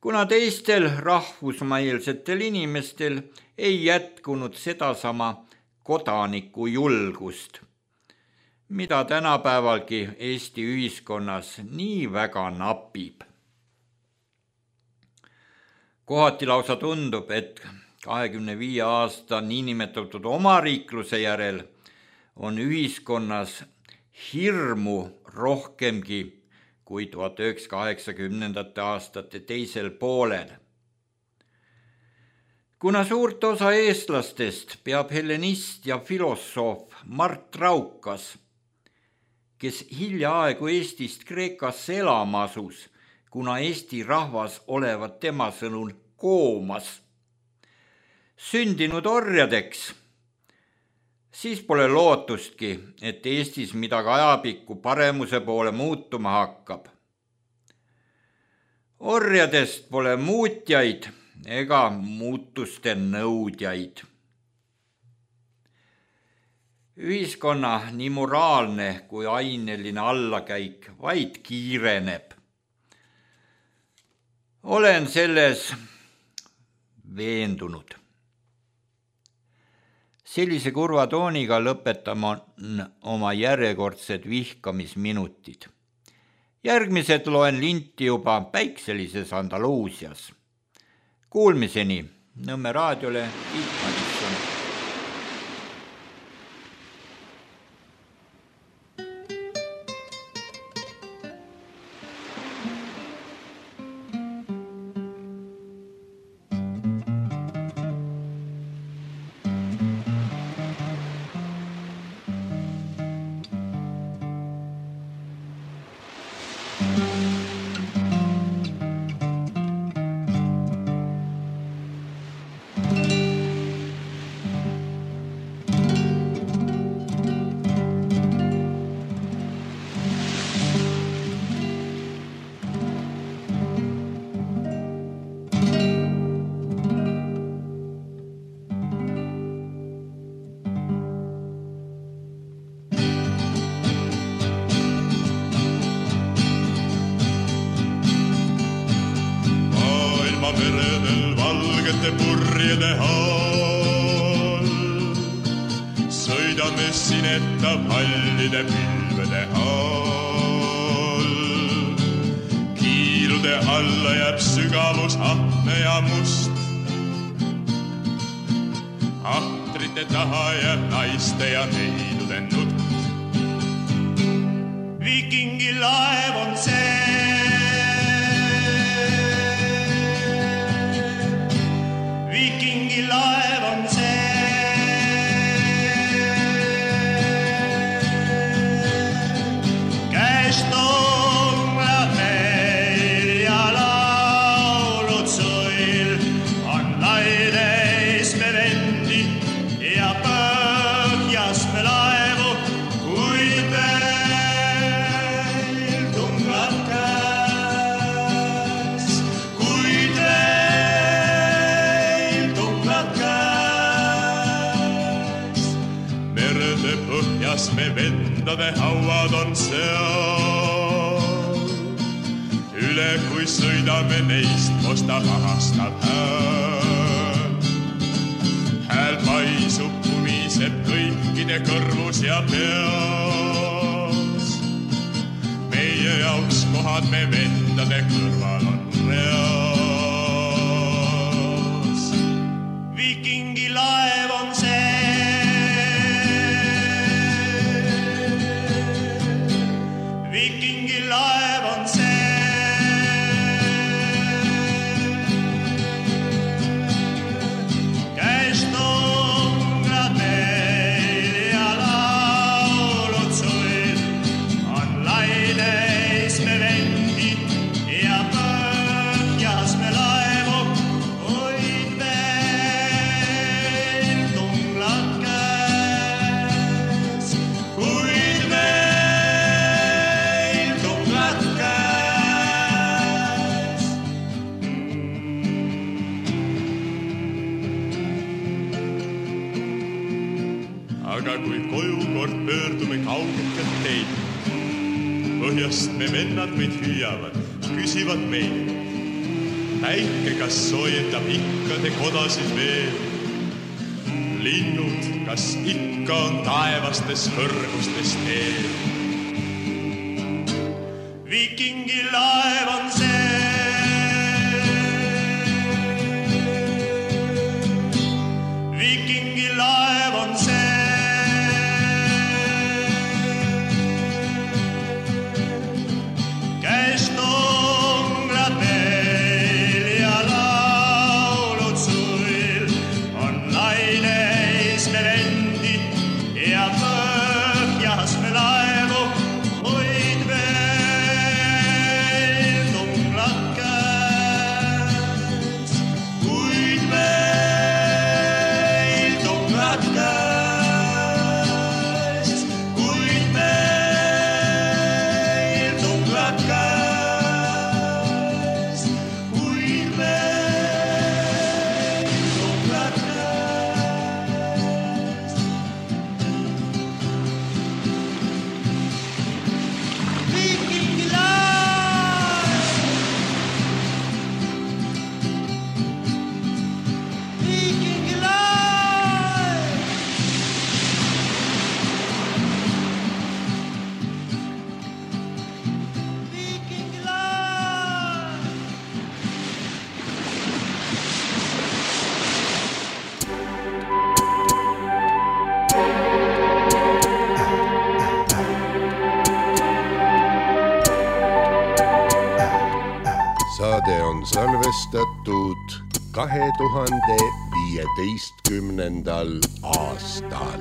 Kuna teistel rahvusmailsetel inimestel ei jätkunud sedasama kodaniku julgust, mida tänapäevalgi Eesti ühiskonnas nii väga napib. Kohati lausa tundub, et kahekümne viie aasta niinimetatud omariikluse järel on ühiskonnas hirmu rohkemgi kui tuhat üheksasada kaheksakümnendate aastate teisel poolel. Kuna suurt osa eestlastest peab hellenist ja filosoof Mart Raukas, kes hiljaaegu Eestist Kreekasse elama asus, kuna Eesti rahvas olevat tema sõnul koomas, sündinud orjadeks, siis pole lootustki, et Eestis midagi ajapikku paremuse poole muutuma hakkab. Orjadest pole muutjaid ega muutuste nõudjaid. Ühiskonna nii moraalne kui aineline allakäik vaid kiireneb. Olen selles veendunud. Sellise kurva tooniga lõpetama oma järjekordsed vihkamisminutid. Järgmised loen linti juba päikselises Andaluusias. Kuulmiseni Nõmme raadiole Tiit Madisson. meredel valgete purjede all. Sõidame sineta pallide pilvede all. Kiilude alla jääb sügavus ahne ja must. Ahtrite taha jääb naiste ja neidude nutt. Vikingi laev on see, Vikingi laev on see. Käest on meil ja põhjas me vendade hauad on seal. Üle kui sõidame neist, kosta pahastab hääl. Hääl paisub, pumiseb kõikide kõrvus ja peas. Meie jaoks kohad me vendade kõrval on reas. Vikingi laev on see, Vikingi laev on see. Käest ongrad meil ja laulud suil on laineis me vendi ja põhjas me laevu hoid meil tunglad käes, hoid meil tunglad käes. Aga kui koju kord pöördume kaugelt teid, põhjast me vennad meid hüüavad, küsivad meil. Päike, kas soojendab ikka te kodasid veel? Linnud, kas ikka on taevastes kõrgustes teel? Vikingi laev on see, Vikingi laev on see. Käest ongrad meil ja laulud suil on laineis me vendi ja põhjas me laevu hoid meil tunglad käes, hoid meil tunglad käes, hoid meil tunglad käes, hoid meil tunglad käes. Vikingi laev, Vikingi laev. Vikingi laev. Saade on salvestatud kahe tuhande viieteistkümnendal aastal.